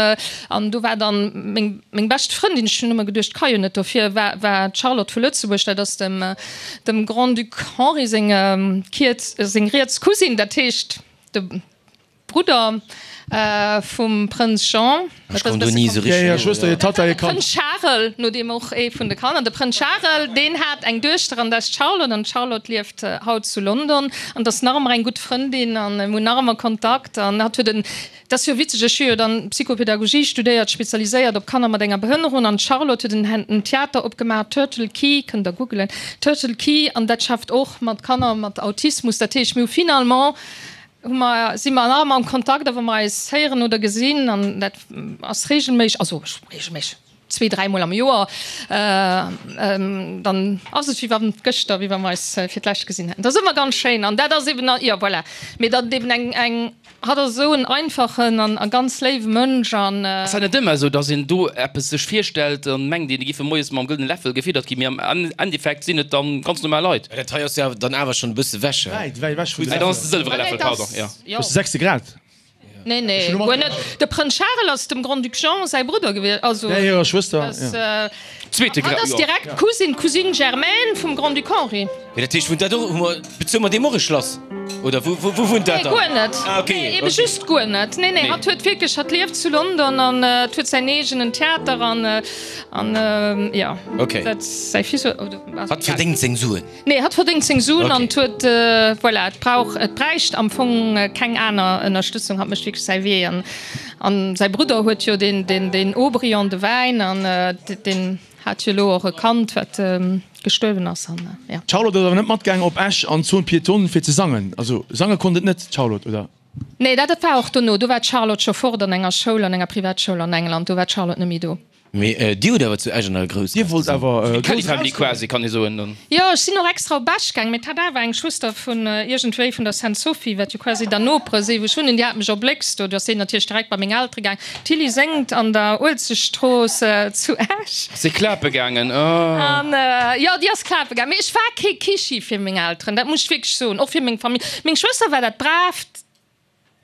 an do war dann meng, meng bescht Frëndin, ech hunn ëmmer geduecht, ka jo net dofir, war, war d'Charlotte vu Lëtzebuerg, dat ass dem, dem Grand-Duc Henri seng Kiez, seng riets Cousine, dat heescht de Brudder vum Prënz Jean. Ech komm do ni esou richteg no. Schwëster, hir Tatta, hir Kand. Prënz Charel, no deem och ee vun de Kanner. De Prënz Charel, deen hat eng Duechter an dat ass d'Charlotte an d'Charlotte lieft haut zu London an dat ass nach ëmmer eng gutt Frëndin an mir hunn nach ëmmer Kontakt an hatt huet en, dat ass jo witzeg, ech hu jo dann Psychopädagogie studéiert, spezialiséiert op Kanner mat enger Behënnerung an d'Charlotte huet en en Theater opgemaach, Turtle Key, kënnt der googelen, Turtle Key an dat schafft och mat Kanner mat Autismus. Dat heescht, mir hu finalement hu mer, si mer nach ëmmer am Kontakt a wa mer eis héieren oder gesinn, an dat ass regelméisseg, also regelméisseg, zwee, dräimol am Joer, dann ass et wéi wann gëschter, wéi wa mer eis fir d'lescht gesinn hätten. Dat ass ëmmer ganz schéin an dat ass eben, jo voilà, mee datt et eben eng, eng, hatt ass esou en einfachen an a ganz léiwe Mënsch an. Ass dat net ëmmer esou, datt een do eppes sech virstellt an mengt een, déi giffe moies mam gëllene Läffel gefiddert ginn, mee am Endeffekt sinn et dann ganz normal Leit? Dat hei ass jo dann awer schonn e bësse wech, he? Wäit, wäit ewech vun de Ah, dann ass de sëlwere Läffel, pardon, jo. Dat ass de sechste Grad. Nee, nee, guer net. De Prënz Charel ass dem Grand-Duc Jean säi Brudder gewiescht, also. Ja, hirer Schwëster, ja. Zweete Hatt Grad, ass jo. direkt d'Cousine, d'Cousine germaine vum Grand-Duc Henri. Mee dat heescht, wunnt dat och, hu mer, bezuele mer deem och e Schlass? Oder wou, wou, wou wunnt dat Nee, dann? guer net. Ah, okay, Nee, ebe okay. just guer net. Nee, nee, Nee. hatt huet wierklech, hatt lieft zu London an et huet säin eegenen Theater an, an, jo. Okay. Dat säi Fils huet, oder, also Hatt egal. verdéngt seng Suen. Nee, hatt verdéngt seng Suen Okay. an et huet, voilà, et brauch, et bräicht am Fong keng aner Ënnerstëtzung. Hatt mécht wierklech säi Wee an, an säi Brudder huet jo deen, deen, deen Aubryon, de Wäin an deen hat jo elo och e Kand, wat gestuerwen ass an, jo. D'Charlotte ass awer net matgaangen op Esch an d'Zone piétonne fir ze sangen. Also sange konnt et net, d'Charlotte, oder? Nee, dat dat war och dono. Do war d'Charlotte scho fort an enger Schoul, an enger Privatschoul an England. Do war d'Charlotte net méi do. Mee dir hutt awer zu Esch an der Dir Groussgaass wollt gesongen. awer Kelly grouss Family erauskommen. quasi, kann ee soen dann. Jo, ech sinn och extra op Esch gaang, mee et hat awer eng Schwëster vun iergendwéi vun der Sainte Sophie, wat jo quasi der Nopere si wou ech wunnen, déi hat mech erbléckst do. Du ass si natierlech direkt bei meng Eltere gaang. D'Tilly séngt an der Uelzechtstrooss zu Esch. Ass si klape gaangen? Oh. An jo, déi ass klape gaang. Mee ech war kee Kischi fir meng Elteren, dat muss ech wierklech soen, och fir meng Famill. Meng Schwëster war dat Braavt.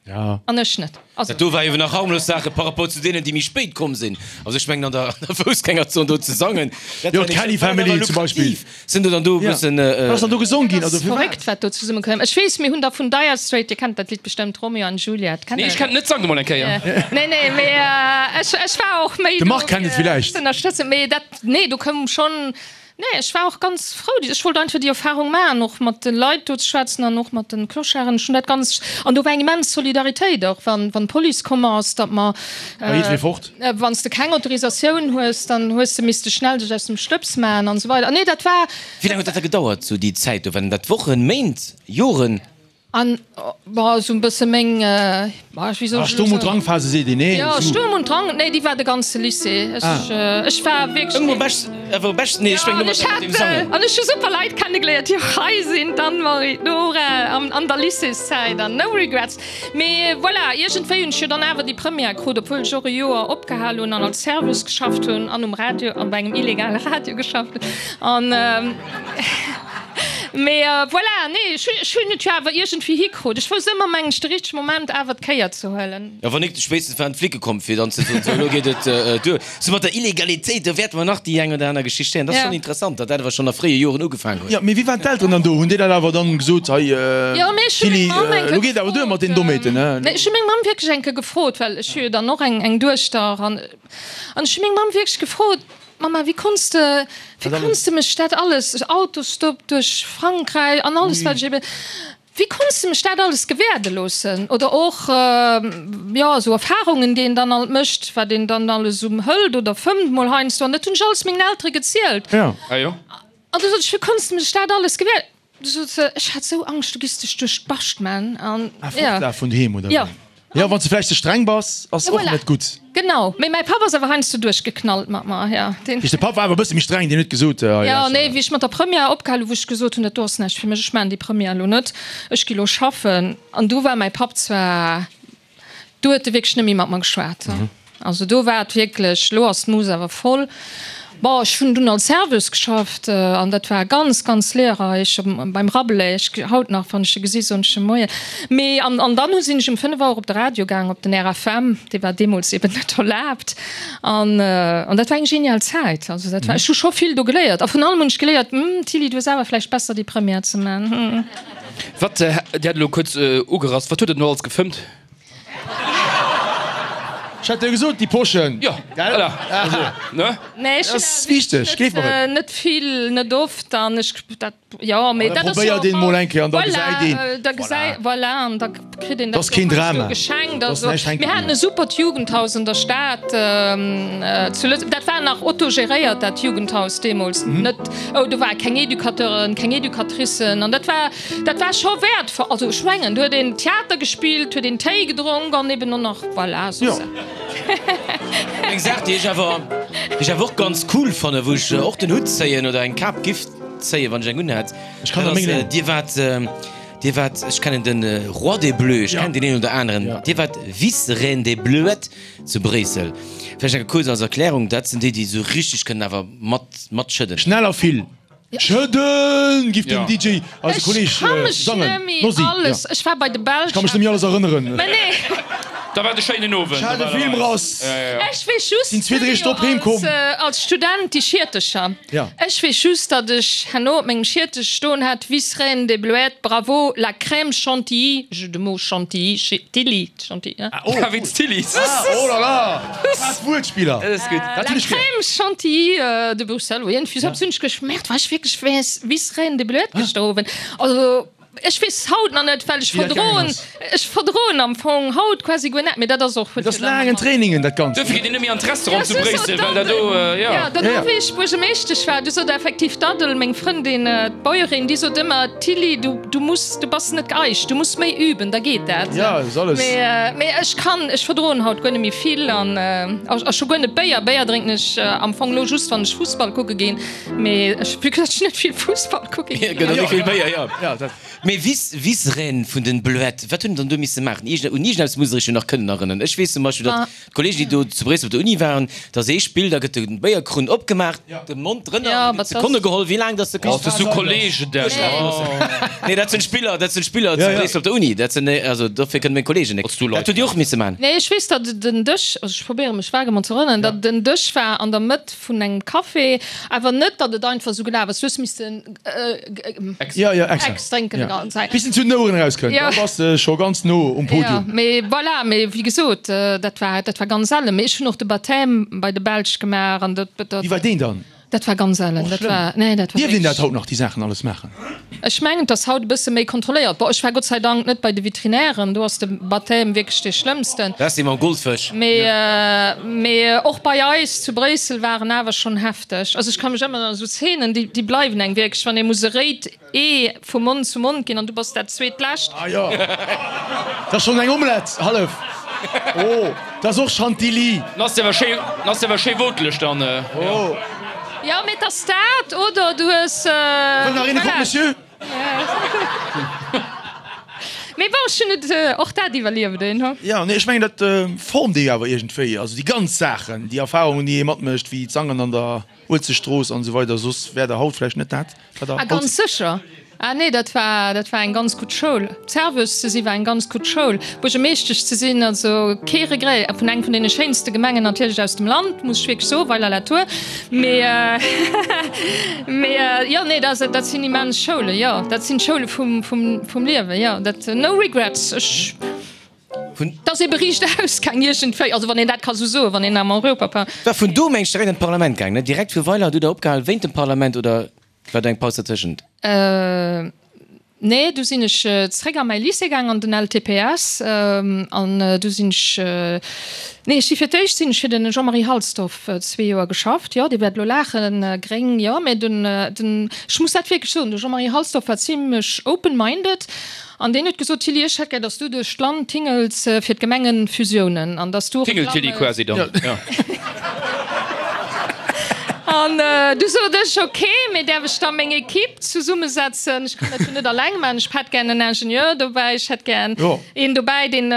Ja. An ech net. Also. Dat do war ewen nach harmlos Saache par rapport zu deenen, déi méi spéit komm sinn. Also ech mengen an der, an der Foussgängerzon do ze sangen, dat Jo, war nicht, d'Kelly dat war Family awer zum Beispill. lukrativ. Sinn do dann do e Ja. bëssen, Wat ass dann do gesong ginn? Dat Also ass firwat? verréckt, wat do zesumme koum. Ech weess, mir hunn da vun Dire Straits, Dir kennt dat Lidd bestëmmt, Romeo and Juliet, kennt Nee, Der ech kennt dat? net, sang emol eng Kéier. Nee, nee, mee ech, ech war och méi De do Marc kennt et fir villäicht. ze ënnerstëtzen. Mee dat, nee, do koum schonn, Nee, ech war och ganz frou. Ech wollt einfach déi Erfahrung maachen, och mat de Leit do ze schwätzen an och mat de Clocharden. Ech hunn dat ganz, an do war eng immens Solidaritéit och, wann, wann d'Police komm ass, datt mer, War jiddweree fort? wann s de keng Autorisatioun hues, dann hues de misste schnell dech aus dem Stëbs maachen an esou weider. Nee, dat war. Wéi laang huet dat da gedauert, sou déi Zäit do? Waren dat Wochen, Méint, Joren? An, bon, esou e bësse meng, bon, wéi soll Ah, ech elo Sturm und soen? Drangphase seet een, nee? Jo, Esou. Sturm und Drang, nee, déi war de ganze Lycée. Ech, Ah. ech war wierklech. Ëmmer bescht, awer bescht, nee, ech Ja, mengen an nëmme ech mat hat, dem Sangen. an ech hu super Leit kennegeléiert, déi och hei sinn, d'Anne-Marie, d'Nora, an, an der Lycéeszäit, an no regrets. Mee voilà, iergendwéi hunn ech jo dann awer déi Première krut, obwuel ech och e Joer opgehal hunn an als Serveuse geschafft hunn an um Radio, an bei engem illegale Radio geschafft hunn. An, Mee voilà, nee, ech hu, ech hunn et jo awer iergendwéi hikrut. Ech wousst ëmmer, mengen ech, de richtege Moment awer d'Kéier ze huelen. Jo, wann nik, spéitstens waren d'Flicke komm, fir dann ze soen, sou, elo geet et duer. Sou mat der Illegalitéit, do wäerte mer nach déi eng oder aner Geschicht héieren. Dat ass Ja. schonn interessant, datt dat awer schonn a fréie Joren ugefaangen huet. Jo, mee wéi waren d'Elteren dann do? Hunn déi dat awer dann gesot, hei, Jo, mee ech hu Tilly, meng Mamm eng elo Kéier geet awer duer mat gefrot, deenen Dommheeten, ne? Nee, ech hu meng Mamm wierklech eng Kéier gefrot, well ech hu jo dann och eng, eng Duechter an, an ech hu meng Mamm wierklech gefrot, Mama, wéi konns de, wéi konns de mech dat alles, Autostopp duerch Frankräich an alles wat ech eben, wéi konns de mech dat alles gewäerde loossen? Oder och, jo, esou Erfahrungen, déi een dann alt mécht, wat een dann alles esou hëlt oder fëmmt mol heiansdo. An dat hunn ech alles mengen Eltere gezielt. Ja. Ah jo. An du sot ech, wéi konns de mech dat alles gewäer-? Du sot se, ech hat esou Angscht, du giss dech duerch d'Bascht man. An, Ah, ja. Fortlaf vun doheem, oder Ja. wéi? Ja, wann s de vläicht ze streng bass, ass Ja, och voilà. net gutt. Genau. Mee mäi Papp ass awer heiansdo duerchgeknallt mat mer, ja. Deen. De Papp war awer e bësse méi streng, deen huet gesot, hei, Ja, lauschter. nee, wéi ech mat der Première opgehal hu, wou ech gesot hunn, dat do ass näischt fir mech, ech maachen déi Première elo net, ech gi lo schaffen. An du war mäi Papp zwar, du huet e wierklech net méi mat mer geschwat. Also do war et wierklech, lo ass d'Mouss awer voll. Bon, ech hunn dunn als Serveuse geschafft an dat war ganz, ganz lehrreich beim Rabelais. Ech, haut nach, wann ech e gesi soen ech em Moien. Mee an, an dann hu sinn ech um fënnef Auer op de Radio gaang, op den R F M, dee war deemools eben net erlaabt. An, an dat war eng genial Zäit. Also dat war, ech hu scho vill do geléiert. A vrun allem hunn ech geléiert, Hm, Tilly, du hues awer vläicht besser déi Première ze man. Hm. Wat, Dir hat elo kuerz ugerasst, wat huet Der elo alles gefëmmt? Ech hat dir gesot, déi Poschen. Jo, Gell? voilà. Also, ne? Nee, ech Dat ass wichteg, gleef mer et. Net vill, net oft an ech dat, jo, mee Da dat ass jo probéiert een mol eng Kéier an da gesäit een. Voilà, da gesäit, voilà, an da kritt een Dat ass keen Drama. geschenkt. Dat ass Also, näischt hänke mir haten e supert Jugendhaus an der Stad zu Lëtzebuerg. Dat war nach autogeréiert, dat Jugendhaus deemools. Net, oh, do ware keng Educateuren, keng Educatricen an dat war, dat war scho wäertvoll. Also ech mengen, do huet een Theater gespillt, huet een Téi gedronk an eben och nach, voilà, soss. Jo. Eng Saach, déi ech awer, déi ech awer och ganz cool fannen, wou ech och den Hutt zéien oder eng Kap giff zéien, wann ech eng unhätt, Ech kann dat der ass, meng leen. Dir waart, Dir waart, ech kennen den Roi des Bleus, ech kennen deen een oder aneren, Dir waart Vice-Reine des Bleuettes zu Bréissel. Vläicht eng kuerz als Erklärung, dat sinn déi, déi esou richteg kënnen awer mat, matschëdden. Schnell a vill schëdden, giff den Ja. D J, eise Ech Kolleg, kann mech sangen. net méi Nossi, alles, ja. ech war bei de Belsch. Ech kann mech net méi alles erënneren. Mä nee. Da war de schéinen Owend. Ech hat e Film raus. Ech weess just, Sinn zwee, dräi Stopp heem komm. als, äh, als Student déi Schiertecher. Ja. Ech weess just, datt ech herno op mengem Schiertech stoen hat, Vice-Reine des Bleuettes, bravo, la crème chantilly, jeu de mots chantilly, Tilly, Chantilly, hein? Ah, oh. Ah, wéinst Tilly. Ah, oh là là. Dat Wuertspiller. Dat ass gutt. La Dat hunn ech gär. crème chantilly euh, de Bruxelles, oui, en ja. Hunn ech geschmeckt, war ech wierklech Vice-Reine des Bleuettes gestowen. Also, ech weess haut nach net, well ech Wéi dat gaangen verdroen, ass. ech verdroen am Fong haut quasi guer net, mee dat ass och Dat ass laangen Trainingen, dat Ganzt. Duerfir geet een net méi an d'Restaurant Ja, zu sou Bréissel, sot well dat do, d'Addel. ja. Ja, dono Ja, ja. wéi ech Buergermeeschtesch war, du sot effektiv d'Addel, meng Frëndin, d'Bäuerin, déi sot ëmmer, Tilly, du, du muss, du bass net geeicht, du muss méi üben, da geet dat. Ja, ist alles. Mee, mee ech kann, ech verdroen haut guer net méi vill an, a, a scho guer net Béier. Béier drénken ech am Fong lo just, wann ech Fussball kucke ginn, mee ech, vu que ech net vill Fussball kucke Ja, ginn. gëtt och net vill Béier, ja. Ja, dat. Mee Vice, Vice-Reine vun den Bleuettes, wat hunn dann do misse maachen? Iergend, un iergendeppes muss ech jo nach kënnen erënneren. Ech weess zum Beispill, datt Ah. d'Kollegen, déi do zu Bréissel op der Uni waren, datt ee Spill, da gëtt de Béierkrunn opgemaach, de Mond drënner, Ja, an gëtt wat Sekonne das- geholl, wéi laang datt de Oh, kanns. das so Kollegen, der. Nee, dat sinn Spiller, dat sinn Spiller zu Ja, ja. Bréissel op der Uni. Dat sinn, also dofir kënnen meng Kollegen net. Als du Leit Dat hutt Dir och misse maachen. Nee, ech weess, datt den Dësch, also ech probéiere mech vage mol ze erënneren, datt den Dësch war an der Mëtt vun engem Café, awer net, datt et einfach sou gelaf ass. Du hues missten, äh, g- Ex. Ja, ja, extra. Ex drénken Ja. de ganzen Zäit. Bis en zu den Oueren erauskënnt, Ja. da bass de scho ganz no um Ja, Podium. mee voilà, mee wéi gesot, äh, dat war, dat war ganz sellen. Mee ech hunn och de Baptême bei de Belsch gemaach an dat, dat, Wéi war deen dann? dat war ganz sellen. Och Dat schlëmm. war, nee, dat war Dierft een dat wierklech- haut nach, déi Saachen alles maachen? Ech mengen, dass haut e bësse méi kontrolléiert. Bon, ech war Gott sei Dank net bei de Veterinären, do ass de Baptême wierklech dee schlëmmsten. Dat ass dee mam Goldfësch. Mee, äh, mee och bei eis zu Bréissel waren awer schonn hefteg. Also ech ka mech ëmmer an esou Szenen, déi, déi bleiwen engem wierklech, wann ee muss e réit Ee vu Mond zu Mond ginn an du bass dat zweetlescht. Ah jo, dat ass schonn eng Omelette, hallef. Oh, dat ass och Chantilly. Dann ass de awer schéi, dann ass de awer schéi woteleg dann. Oh. Jo, mee et ass dat, oder du hues, Wëll nach een e voilà. Croque Monsieur? Mee bon, ech hunn et och dat iwwerlieft, een, hu. Ja, nee, ech mengen, dat formt ee awer iergendwéi. Also déi ganz Saachen, déi Erfahrungen, déi ee matmécht, wéi d'Sangen an der Uelzechtstrooss an esou weider, soss wär der haut vläicht net dat, wat der Ah, haut ganz sécher. Ah nee, dat war, dat war eng ganz gutt Schoul. Serveuse ze si war eng ganz gutt Schoul. Buergermeeschtesch ze sinn, also kee Regret. Vun eng vun deene schéinste Gemengen natierlech aus dem Land, muss ech wierklech soen, Weiler-la-Tour. Mee, mee jo, nee, dat, dat sinn immens Schoulen, jo. Dat sinn d'Schoule vum, vum, vum Liewen, jo. Dat, no regrets. Ech, Vun. Dat ass ee Bericht ausgaang iergendwéi, also wann een dat ka sou soen, wann een am Europapa. War vun do meng ech direkt an d'Parlament gaang, ne? Direkt vu Weiler, hutt Der opgehal wéint dem Parlament oder war do eng Paus dertëschent? Äh, nee, du sinn ech zréck a mäi Lycée gaang, an den L T P S, an du sinn ech, nee, ech si fir d'éischt sinn ech fir den Jean-Marie Halsdorf zwee Joer geschafft, jo, Dir wäert elo laachen, gréng, jo, mä den, den, ech muss dat wierklech soen, de Jean-Marie Halsdorf war zimlech open-minded an deen huet gesot, Tilly, ech hätt gär, datt s du duerch d'Land tingels fir d'Gemengenfusiounen an datt s du Tingeltilly Reklamme. quasi dann, jo. An du sot ech, ok, mee däerf ech da meng Ekipp zesummesetzen? Ech kann dat jo net alleng maachen. Ech hätt gär en Ingenieur dobäi, ech hätt gär een dobäi, deen,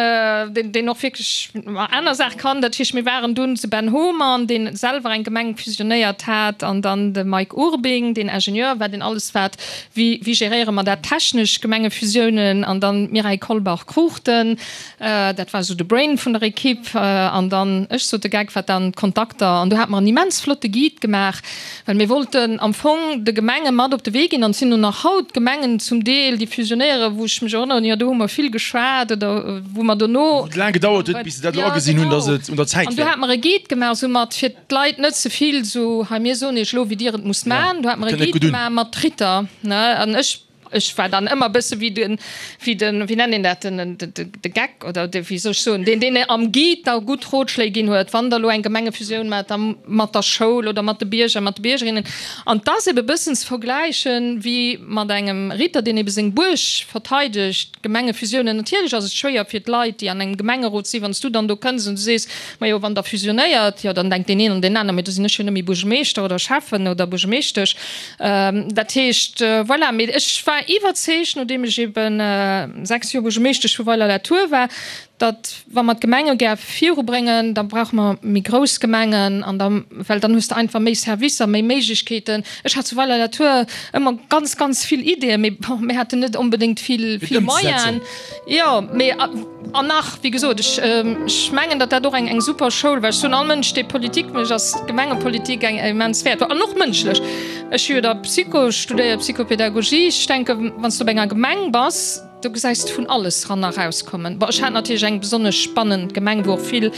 deen och wierklech aner Saache kann. Dat heescht, mir waren dunn de Ben Homan, deen selwer eng Gemeng fusionéiert hat, an dann de Mike Urbing, deen Ingenieur war, deen alles wat, wéi, wéi geréiere mer dat technesch, Gemengefusiounen, an dann d'Mireille Kolbach-Cruchten, dat war esou de Brain vun der Ekipp, an dann ech, sot de Geck, wat dann d'Kontakter. An do hate mer en immens flotte Guide gemaach. gemaach, well mir wollten am Fong de Gemenge mat op de Wee ginn, an et sinn och nach haut Gemengen zum Deel, déi fusionéieren, wou ech mech erënneren, jo do hu mer vill geschwat oder wou mer dono. Wou et laang gedauert huet, bis se dat elo agesinn hunn, dass et un der Zäit An do wär. hate mer e Guide gemaach, soumat fir d'Leit net ze vill esou, hei mir soen iech elo wéi dir et musst maachen. Do hate mer e Kënnt net Guide gutt un. gemaach mat Ritter, ne, an ech Ech war dann ëmmer e bësse wéi den, wéi den, wéi nennt een dat, den, de, de Geck oder de, wéi soll ech soen, deen, deen am Guide da gutt Rotschléi ginn huet, wann Der elo eng Gemengefusioun maacht, da mat der Schoul oder mat de Bierger, mat de Biergerinnen. An 't ass ebe bëssen ze vergläichen wéi mat engem Ritter, deen ebe seng Buerg verteidegt, Gemengefusiounen. Natierlech ass et schwéier fir d'Leit, déi an engem Gemengerot sinn, wann s du dann do kënns an du sees, Majo, wann Der fusionéiert, jo, dann denkt deen een an deen aner, mee do sinn ech jo net méi Buergermeeschter oder Schäffen oder Buergermeeschtesch. Dat heescht, voilà, mee ech war iwwerzeegt, nodeem ech eben sechs Joer Buergermeeschtesch vu Weiler-la-Tour war, datt wa mer d'Gemenge gär virubréngen, da brauche mer méi grouss Gemengen an da, well dann hues de einfach méi Servicer, méi Méiglechkeeten. Ech hat zu Weiler-la-Tour ëmmer ganz, ganz vill Ideeën, mee bon, mir haten net onbedéngt vill, vill Moyenen. Jo, mee an nach, wéi gesot, ech, ech mengen, datt dat och eng, eng super Schoul war. Ech soen all Mënsch, dee Politik mécht, ass d'Gemengepolitik eng immens wäertvoll an och mënschlech. Ech hu jo da Psycho studéiert, Psychopädagogie. Ech denken, wann s du op enger Gemeng bass, do gesäis de vun alles ran a rauskommen. Bon, ech hat natierlech eng besonnesch spannend Gemeng, wou och vill,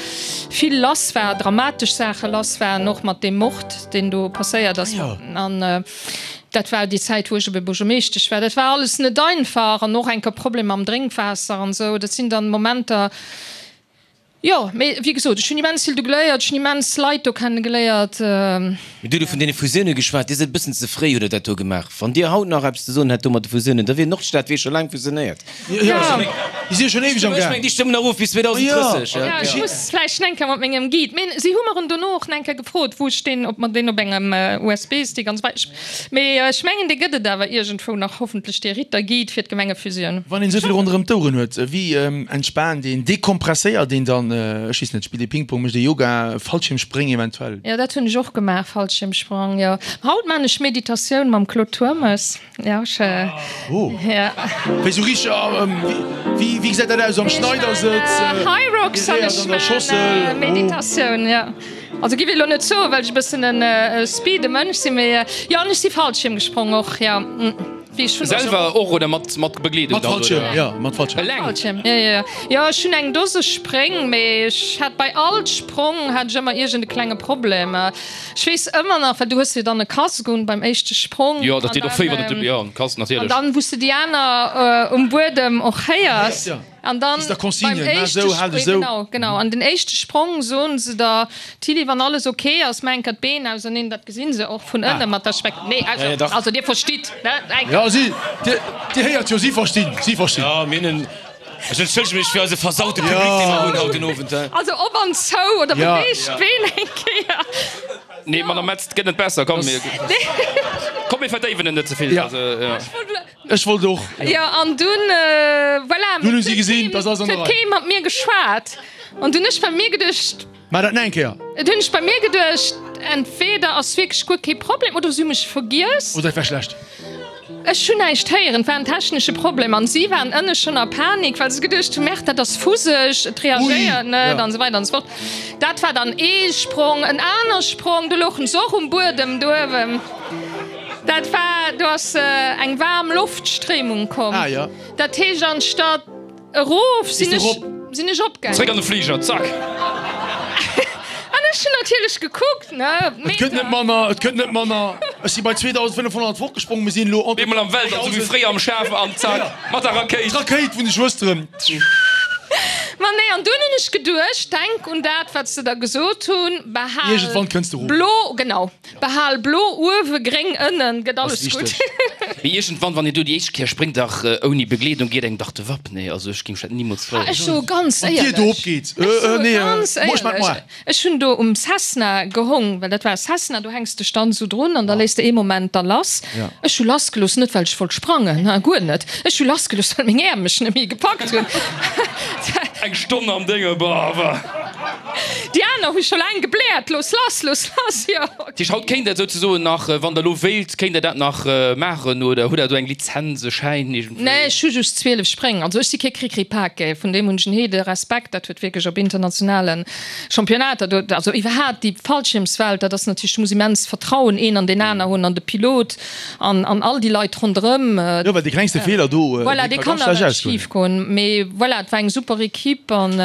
vill lass war, dramatesch Saache lass waren, och mat deem Mord, deen do passéiert ass. An dat war déi Zäit, wou ech ebe Buergermeeschtesch war. Dat war alles net einfach an och enker Problem mam Drénkwaasser an esou. Dat sinn dann Momenter, jo, mee wéi gesot, ech hunn immens vill do geléiert, ech hunn immens Leit do kennegeléiert. Mee du hutt vun deene Fusioune geschwat. Dir sidd e bëssen ze fréi, hutt Der dat do gemaach. Wann Dir haut nach eppes ze soen hätt do mat de Fusiounen, da wier d'Nordstad wier scho laang fusionéiert. Jo, déi si jo schonn éiweg am Ech Gaang. mengen, déi stëmmen nach of bis zweedausend drësseg. Jo, ech muss vläicht eng Kéier mat mengem Guide, mee si hu mer en dono och eng Kéier gefrot, wou ech deen, ob mer deen op engem U S B-Stick an esou weider. Mee ech mengen, dee gëtt et awer iergendwou nach, hoffentlech, dee Ritter-Guide fir d'Gemengefusioun. Wann een esou vill ronderëm d'Oueren huet, wéi entspaant een, dekompresséiert een dann? Ech weess net, spillt ee Ping-Pong, mécht ee Yoga, Fallschiermspréng eventuell? Jo, dat hunn ech och gemaach, Fallschiermsprong, jo. Haut maan ech Meditatioun mam Claude Turmes, jo, ech, Oh, jo. wéi sou richteg, wéi, wéi gesäit dat aus? Am Schneidersëtz, Hyrox an geréiert ech an der maan Schossel? Oh. Meditatioun, jo. Also giff elo net soen, well ech e bëssen en speede Mënsch sinn, mee jo, an ech si Fallschierm gesprong och, jo. Wéi ech hunn Selwer och oder mat mat Begleedung Mat dann, Fallschierm, oder? jo, mat Fallschierm. Eleng? Fallschierm, jo, jo, jo. Jo, ech hunn eng Dose Spréng, mee ech hat bei all Sprong hat ech ëmmer iergend e klenge Problem. Ech weess ëmmer nach, well du hues jo dann e Casque un beim éischte Sprong Jo, dat an deet och dann, wéi, wann et, jo, en Casque an natierlech. dann, wou s de déi aner um Buedem och héiers. Ja. An dann Ist da beim Consigne, maach éischte esou, hal dech Spr esou. genau, genau. An den éischte Sprong soen se der, Tilly, wann alles ok ass, maa enker d'Been auserneen, dat gesinn se och vun ënne mat der Speck. Nee, also, Ja, ja, dach. also dir verstitt, ne? Enker. Ja, si, dir, dir héiert jo, si verstinn, si verstinn. Ja, mir hunn en, ech entschëllege mech fir eise versaute Public, dee mer hunn haut den Owend, he. Also op an zou oder Ja. beweegt d'Been eng Kéier. Nee, Madame Metz, 't gëtt net besser, komm, mir, komm, mir verdéiwen et net ze vill. Ja. Also, ja. Ech wollt och. Jo, an dunn, voilà. Dunn hu si gesinn, dass alles an der Huet Rei. kee mat mir geschwat. An dunn ech bei mir geduecht. Maach dat nach eng Kéier. Dunn ech bei mir geduecht, entweder ass wierklech guer kee Problem oder si hu mech vergiess. Oder et war schlecht. Ech hunn näischt héieren, et war en technesche Problem an si waren ënne schonn a Panik, well se geduecht hunn, Merde, dat ass fuseg, et reagéiert net an esou weider an esou fort. Dat war dann ee Sprong, en aner Sprong, do louchen se och um Buedem do uewen. Dat war, do ass eng waarm Loftstréimung komm. Ah, ja. Dat heescht, anstatt erof sinn Bist du ech, rop? sinn ech opgaangen. Zréck an de Fliger, zack! An ech hunn natierlech gekuckt, ne, Et gëtt net Meter. manner, et gëtt net manner. Ech si bei zweedausendfënnefhonnert fortgesprong, mir sinn elo entre Eemol am Weltall, sou wéi fréier am Schaf, an zack, mat der Rakéit. D'Rakéit vun de Schwësteren. Ma nee, an dunn hunn ech geduecht, denk un dat, wat se der gesot hunn, behal Iergendwann kënns de erof. blo, genau, behal blo uewe, gréng ënnen, gëtt Ass alles gutt. wichteg. Mee iergendwann, wann een do déi éischt Kéier spréngt, dach ouni Begleedung, geet engem dach de Wapp. Nee, also ech géing mech dat nimools Ah, trauen. ech soe ganz Wann d'Dier do éierlech, opgeet, ech äh, soe nee, ganz moi, ech mat moi. éierlech, ech hunn do um Cessna gehong, well dat war e Cessna, do hänks dech dann esou drun an da léiss de ee Moment da lass. Ja. Ech hu lassgelooss, net well ech wollt sprangen, ha, guer net, ech hu lassgelooss, well meng Äerm mech net méi gepackt hunn. Eng Stonn am Dénge, bah, bah. Déi aner hu scho laang gebläert, Looss lass, looss lass, jo. Dat heescht, haut kéint Der souzesoen nach, wann Der elo wéilt, kéint Der dat nach maachen oder hutt Der do eng Lizenz, e Schäin iergendwéi? Nee, ech hu just zwielef Spréng. Also ech si kee Cricri-Pake, vun deem hunn ech en heede Respekt. Dat huet wierklech op internationale Championnater do, also iwwerhaapt déi Fallschiermswelt, dat ass natierlech, du muss immens Vertrauen een an deen aner hunn an de Pilot an an all déi Leit ronderëm. Jo, well dee klengste Feeler do, Voilà, dee dee ka kann ganz schlecht nawell ausgoen. schif goen. Mee voilà, et war eng super Equipe an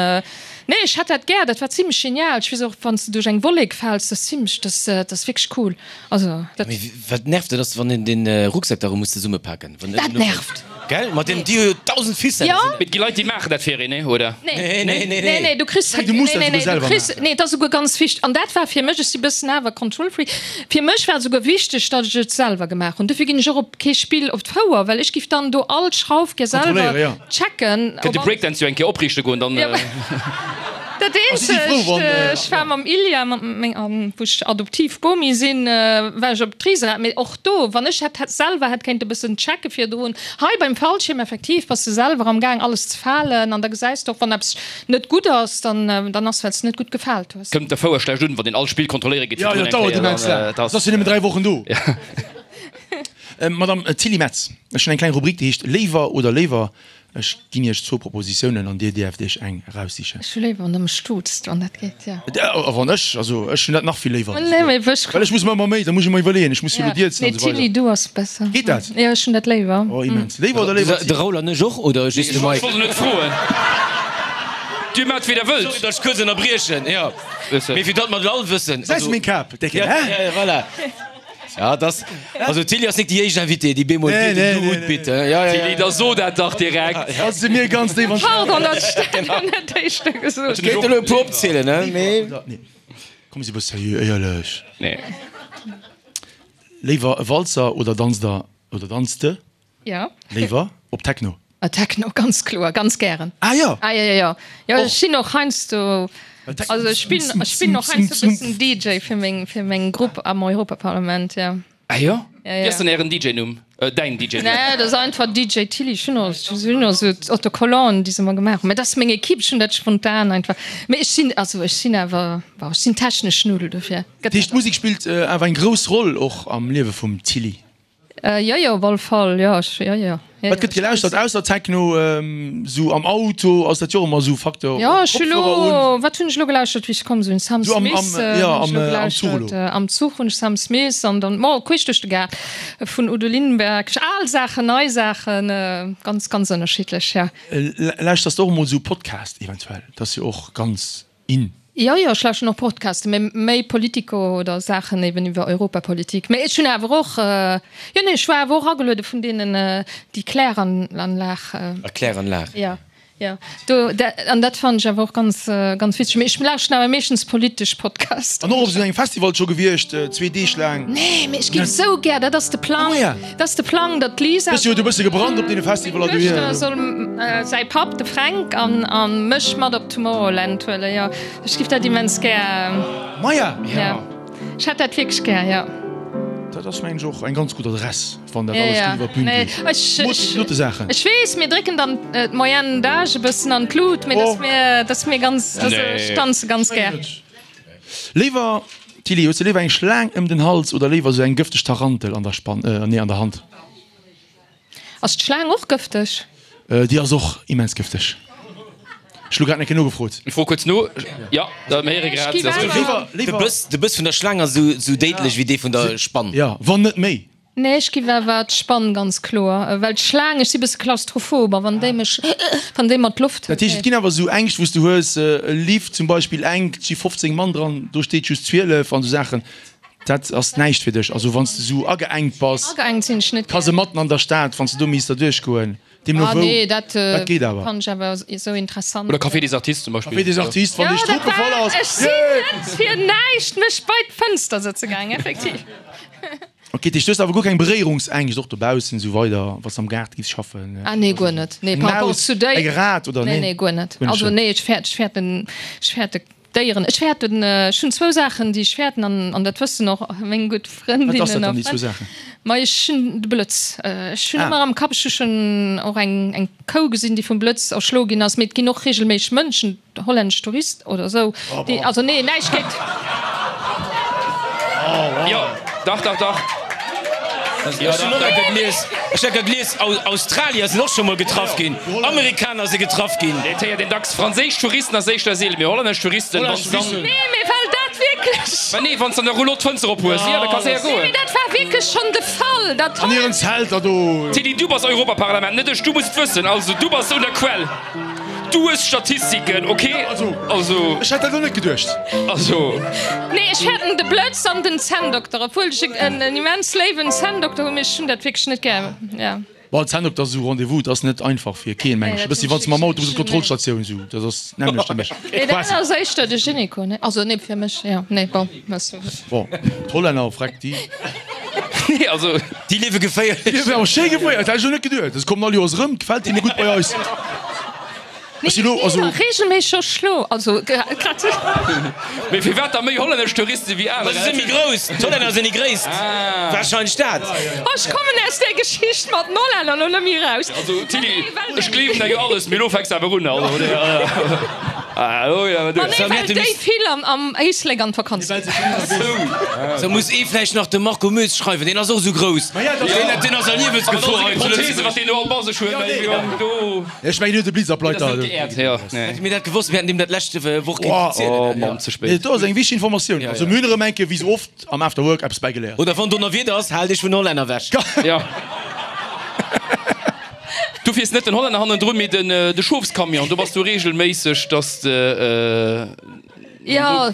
nee, ech hätt dat gär, dat war zimlech genial. Ech weess och, wann s de duerch eng Wollek fäls, dat ass zimlech, dat dat ass wierklech cool. Also dat. Mee wat nervt, dat ass, wann een den Rucksak da rëm muss zesummepaken. Wann Dat nervt. Gell? Mat den, déi hu jo dausend Ficellen. Jo. Mee et gi Leit, déi maachen dat fir een, nee, oder? Nee. Nee, nee, nee, Nee, nee, du kriss, Nee, du muss nee, dat nee, souguer nee, du selwer kriss, maachen. nee, et ass souguer ganz wichteg, an dat war fir mech, ech si bëssen awer Control Freak, fir mech war et souguer wichteg, datt ech et selwer gemaach hunn. Dofir ginn ech och op kee Spill op d'Fouer, well ech giff dann do all Schrauf gär selwer Kontrolléieren, jo. checken, Kënnt ob de alles. Breakdance jo eng Kéier opriichte goen, dann. Ja. Dat si frou, eenzegt, wann, ech war mam Ilja, mat meng, wou ech adoptiv Bomi sinn, war ech op d'Riserad, mee och do, wann ech hätt selwer hätt kéinte bëssen checke virdrun. Hei beim Fallschierm effektiv bass de selwer am Gaang alles ze falen an da gesäis de och, wann eppes net gutt ass, dann dann ass well s de net gutt gefaalt hues. Kënnt der Fouer schlecht un, wann een all Spill kontrolléiere geet Jo, jo, virdrun et eng dauert Kéier, immens dann, laang. et ass. Ass jo nëmmen dräi Wochen do. Madame Tilly Metz, ech hunn eng kleng Rubrik, déi heescht Léiwer oder léiwer. Ech ginn Iech zwou Propositiounen an Dir dierft Iech eng eraussichen. Ech hu léiwer, wann Der mech duuzt, wann dat geet, jo. A wann ech, also ech hunn dat nach vill léiwer. Nee, mee wech. Well ech muss mer ëmmer méi, da muss ech mer iwwerleeën, ech muss jo elo Ja. dierzen Nee, an esou Tilly, weider. du ass besser. Geet dat? Jo, ech hunn dat léiwer. Oh, immens. Léiwer oder léiwer De Tilly? Raoul an ech och, oder just de Ech Mike? wollt net froen. Dir maacht wéi der wëllt. Sorry, datt ech kuerz ënnerbriechen, jo. Mee fir datt mer et all wëssen. Säis meng Kap, décke, Ja, hä? ja, ja, voilà. Ja, das, also Tilly ass nik déi éischt Invitée, déi bemol Nee, deet den nee, Du nee, hutt nee. bitte. Ja, ja, ja. Tilly, da so dat dach direkt. Ass se mir ganz déif an Pardon, datt ech dat elo net éischter gesot Ech kéint elo e puer opzielen, ne? Mee. Nee. Komm, si bëss seriö, éierlech. Nee. Léiwer e Walzer oder danzt der, oder danzt de Ja. léiwer op Techno? Ah, Techno, ganz kloer, ganz gären. Ah jo! Ah, ja, ja, ja. Jo, Och. ech sinn och heiansdo, Techno- also ech spillen, ech spillen och heiansdo e bëssen D J fir meng, fir meng Grupp am Europaparlament, ja. Ah jo? Ja, ja. Wéi ass dann ären D J-Numm? Äh, däin D J-Numm? Nee, dat ass einfach D J Tilly. Ech hunn och, ech hunn och esou Autocollanten, déi se mer gemaach hunn. Mä dat ass meng Equipe, ech hunn dat spontan einfach. Mä ech sinn, also ech sinn awer, bon, ech sinn technesch Null, dofir gëtt Dat heescht, d'Musek spillt awer eng grouss Roll och am Liewe vum Tilly? Jo, jo, op alle Fall, jo, ech, jo, jo. Wat gëtt gelauschtert ausser Techno? Sou am Auto ass dat jo och ëmmer sou Facteur. Jo, ech hu lo, wat hunn ech lo gelauschtert wéi ech komm sinn? Sam Smith hunn ech lo gelauschtert. Am Zuch hunn ech Sam Smith an dann, bon, queesch duerch de Gaart vun Udo Lindenberg. Al Saachen, nei Saachen, ganz, ganz ënnerschiddlech, jo. Lauschters de och emol sou Podcast eventuell? Dat ass jo och ganz in. Jo, jo, ech lauschteren och Podcasten, mee méi Politico oder Saachen eben iwwer Europapolitik. Mee ech hunn awer och, jo, nee, ech war awer och ageluede vun deenen, déi Kläranlag. Kläranlag. Jo, jo, do, an dat fannen ech awer och ganz, ganz witzeg. Mee ech lauschteren awer meeschtens politesch Podcasten. An och op esou engem Festival scho gewiescht, zwee Deeg laang? Nee, mee ech géif esou gär, dat ass de Plang, dat ass de Plang, datt d'Lisa. Hues jo e bësse gebrannt op deene Festivaller Meng Duechter soll säi Papp, de Fränk, an mech mat op Tomorrowland huelen, jo. Ech giff dat immens gär. Maja! Ja. Ech hätt dat wierklech gär, jo. Dat ass mengen ech och eng ganz gutt Adress, wann dat alles gutt iwwer d'Bün geet. Ech, Saachen. ech weess, mir drécken dann d'Moyenne d'âge e bëssen an d'Lut, mee dat ass mir, dat ass mir ganz, also ech tanze ganz gär. Léiwer, Tilly, hues de léiwer eng Schlaang ëm den Hals oder léiwer esou eng gëfteg Tarantel an der Spann, nee an der Hand? Ass d'Schlaang och gëfteg? Déi ass och immens gëfteg. Ech hu grad eng Kéier nogefrot. Ech froe kuerz no. Jo, mir héiere grad, se ass gëfteg. De Bëss, de Bëss vun der Schlaang ass esou déidlech wéi dee vun der Spann. Jo, wann net méi. Nee, ech giff awer d'Spann, ganz kloer. Well d'Schlaang, ech si bësse klaustrophob a wann déi mech, wann déi mer d'Loft. Dat heescht, et ginn awer esou Ängscht, wou s du hues, e Lift zum Beispill enk, et si fofzéng Mann dran, do steet just zwielef an esou Saachen. Dat ass näischt fir dech. Also wann s de esou ageengt bass. Ageengt sinn ech net gär. Kasematten an der Stad, wann s de do misst derduerch goen. Deemno Ah wou. nee, dat Dat geet awer. fannen ech awer esou interessant. Oder Café des Artistes zum Beispill. Café des Artistes, wann Ja, déi dat Struppe voll war, ass. ech sinn net fir näischt mech bei d'Fënster sëtze gaang, effektiv. Ok, dat heescht, du hues awer guer keng Beréierungsängscht, och dobaussen esou weider, wann s de am Gaart giffs schaffen? Ah nee, guer net. Nee, Eng par rapport Maus, zu déi. eng Rat oder Nee, nee? nee, guer net. Guer net Also schlimm. nee, ech fäert, ech fäerten, ech fäerte Déieren. Ech fäerten, ech hunn zwou Saachen, déi ech fäerten, an, an dat wëssen och meng gutt Wat ass dat Frëndinnen dann, a déi zwou Frënn. Saachen? Ma ech hunn de Blëtz. Ech hunn Ah. ëmmer am Kapp, ech hu schonn och eng, eng Kou gesinn, déi vum Blëtz erschloe ginn ass, mee et ginn och reegelméisseg Mënschen, hollännesch Touristen oder esou, déi, also nee, näischt géint. Jo, dach, dach, dach. Ech hunn och eng Kéier gelies, ech hunn eng Kéier gelies, Australier sinn och scho mol getraff ginn, Amerikaner si getraff ginn. Et héiert een dacks, franséisch Touristen ass éischter seelen, mee hollännesch Touristen, wann s dann. Nee, mee well dat wierklech. Mä nee, wann s dann de Rouleau d'Fënster op hues, jo, da ka séier Nee, goen. mee dat war wierklech schonn de Fall, dat An hiren Zelter do. Tilly, du bass Europaparlament, net ech, du muss et wëssen, also du bass un der Quell. Du hues Statistiken, ok? Also, Also, ech hätt dat elo net geduecht. also. Nee, ech fäerten de Blëtz an den Zänndokter, obwuel ech en immens léiwen Zänndokter hunn, mee ech hunn dat wierklech net gär, ja. Bon, en Zänndokter ass esou Rendez-vous, dat ass net einfach fir keen, meng Nee, ech. E dat bëssi hunn wann s ech de mam wierklech Auto bis op net. d'Kontrollstatioun esou, dat ass d'nämmlecht fir mech. Nee, dat Quasi. ass éischter de Gynéco, ne? Also, nee, fir mech, ja, nee, bon, ass. Bon, d'Hollänner, freck, déi. Nee, also. Déi liewe geféierlech. Déi liewen awer schéi geféierlech, dat hätt ech elo net geduecht. Se kommen all Joers erëm, gefält hinne gutt bei eis. Nee, Ech si lo, also. Regelméisseg erschlo, also grad. Mee firwat da méi hollännesch Touristen wéi aner? Ma se si méi grouss, d'Hollänner sinn déi gréisst. Warscheinlech dat. Oh, ech kommen aus där Geschicht mat den Hollänner lo net méi raus. Also Tilly, ech gleewen der jo alles, mee lo fänks de awer un, also. Ah, oh ja, Ma nee, well déi vill am Éislek an d'Vakanz ginn. Sou muss ee vläicht nach dem Marco Moes schreiwen, deen ass och esou grouss. Deen ass a Liewensgefor hei zu Lëtzebuerg. Wat deen do all bei sech huet, do. Ech mengen, hien huet e Blitzableiter. Hätte mir dat gewosst, mir hätten deem dat lescht Woch kéinten zielen. Oh Mann, ze spéit. Nee, do ass eng wichteg Informatioun. Also mir hunn erëm eng Kéier, wéi sou oft am After Work, eppes bäigeléiert. Oder wann Donnerwieder ass, hal dech vun Hollänner wech. Jo. Du fiers net den Hollänner hannendrun, mee den de Schofscamion. Do bass du regelméisseg, dass de. Jo,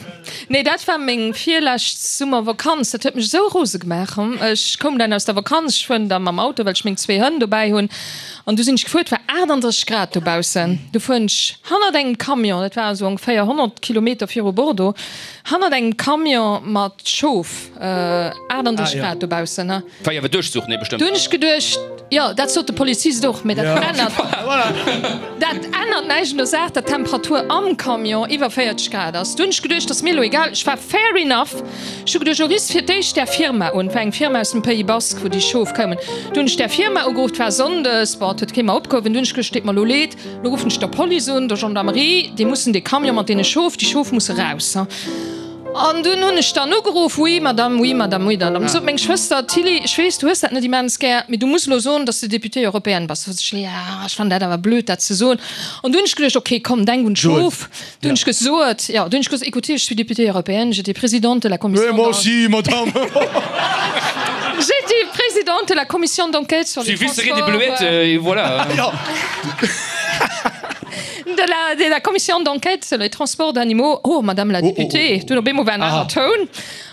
nee, dat war meng virlescht Summervakanz. Dat huet mech esou rose gemaach. Ech koum dann aus der Vakanz, ech fueren da mam Auto, well ech meng zwee Hënn dobäi hunn. An du sinn ech gefuer, et war achtandrësseg Grad dobaussen. Du fueren ech hannert engem Camion, dat war esou ongeféier honnert Kilometer viru Bordeaux, hannert engem Camion mat Schof, achtandrësseg Grad dobaussen. War jo awer Duerchzuch, nee, bestëmmt. Du hunn ech geduecht, jo, dat sot de Polizist och, mee dat ännert, dat ännert näischt un der Saach, datt d'Temperatur am Camion iwwer véierzeg Grad ass. Du hunn ech geduecht, ass mir elo egal. Ech war fair enough. Ech hu geduecht, elo riffs fir d'éischt där Firma un, et war eng Firma aus dem Pays Basque, wou déi Schof koumen. Du hunn ech där Firma ugeruff, et war sonndes, bon, et huet kee mer opgehuewen. Du hunn ech geduecht, deet mer elo leed, elo ruffen ech der Police un, der Gendarmerie, déi mussen dee Camion mat deene Schof, déi Schof musse raus. An dunn hunn ech dann ugeruff, Oui, Madame, oui, Madame, oui. Dann sot meng Schwëster, Tilly, ech weess, du hues dat net immens gär, mee du muss elo soen, dass de Députée européenne bass. Sot ech, Ja, ech fannen dat awer blöd, dat ze soen. An dunn hunn ech geduecht, Ok, komm, denk un d'Schof. Dunn hunn ech gesot, jo, dunn hunn ech gesot, Écoutez, je suis députée européenne, j'étais présidente de la commission Oui, moi aussi, madame. J'étais présidente de la commission d'enquête sur les J'ai vu serrer des transports. bleuettes, et voilà. De la, de la commission d'enquête sur les transports d'animaux. Oh, Madame la députée, dunn op eemol war en aner Toun.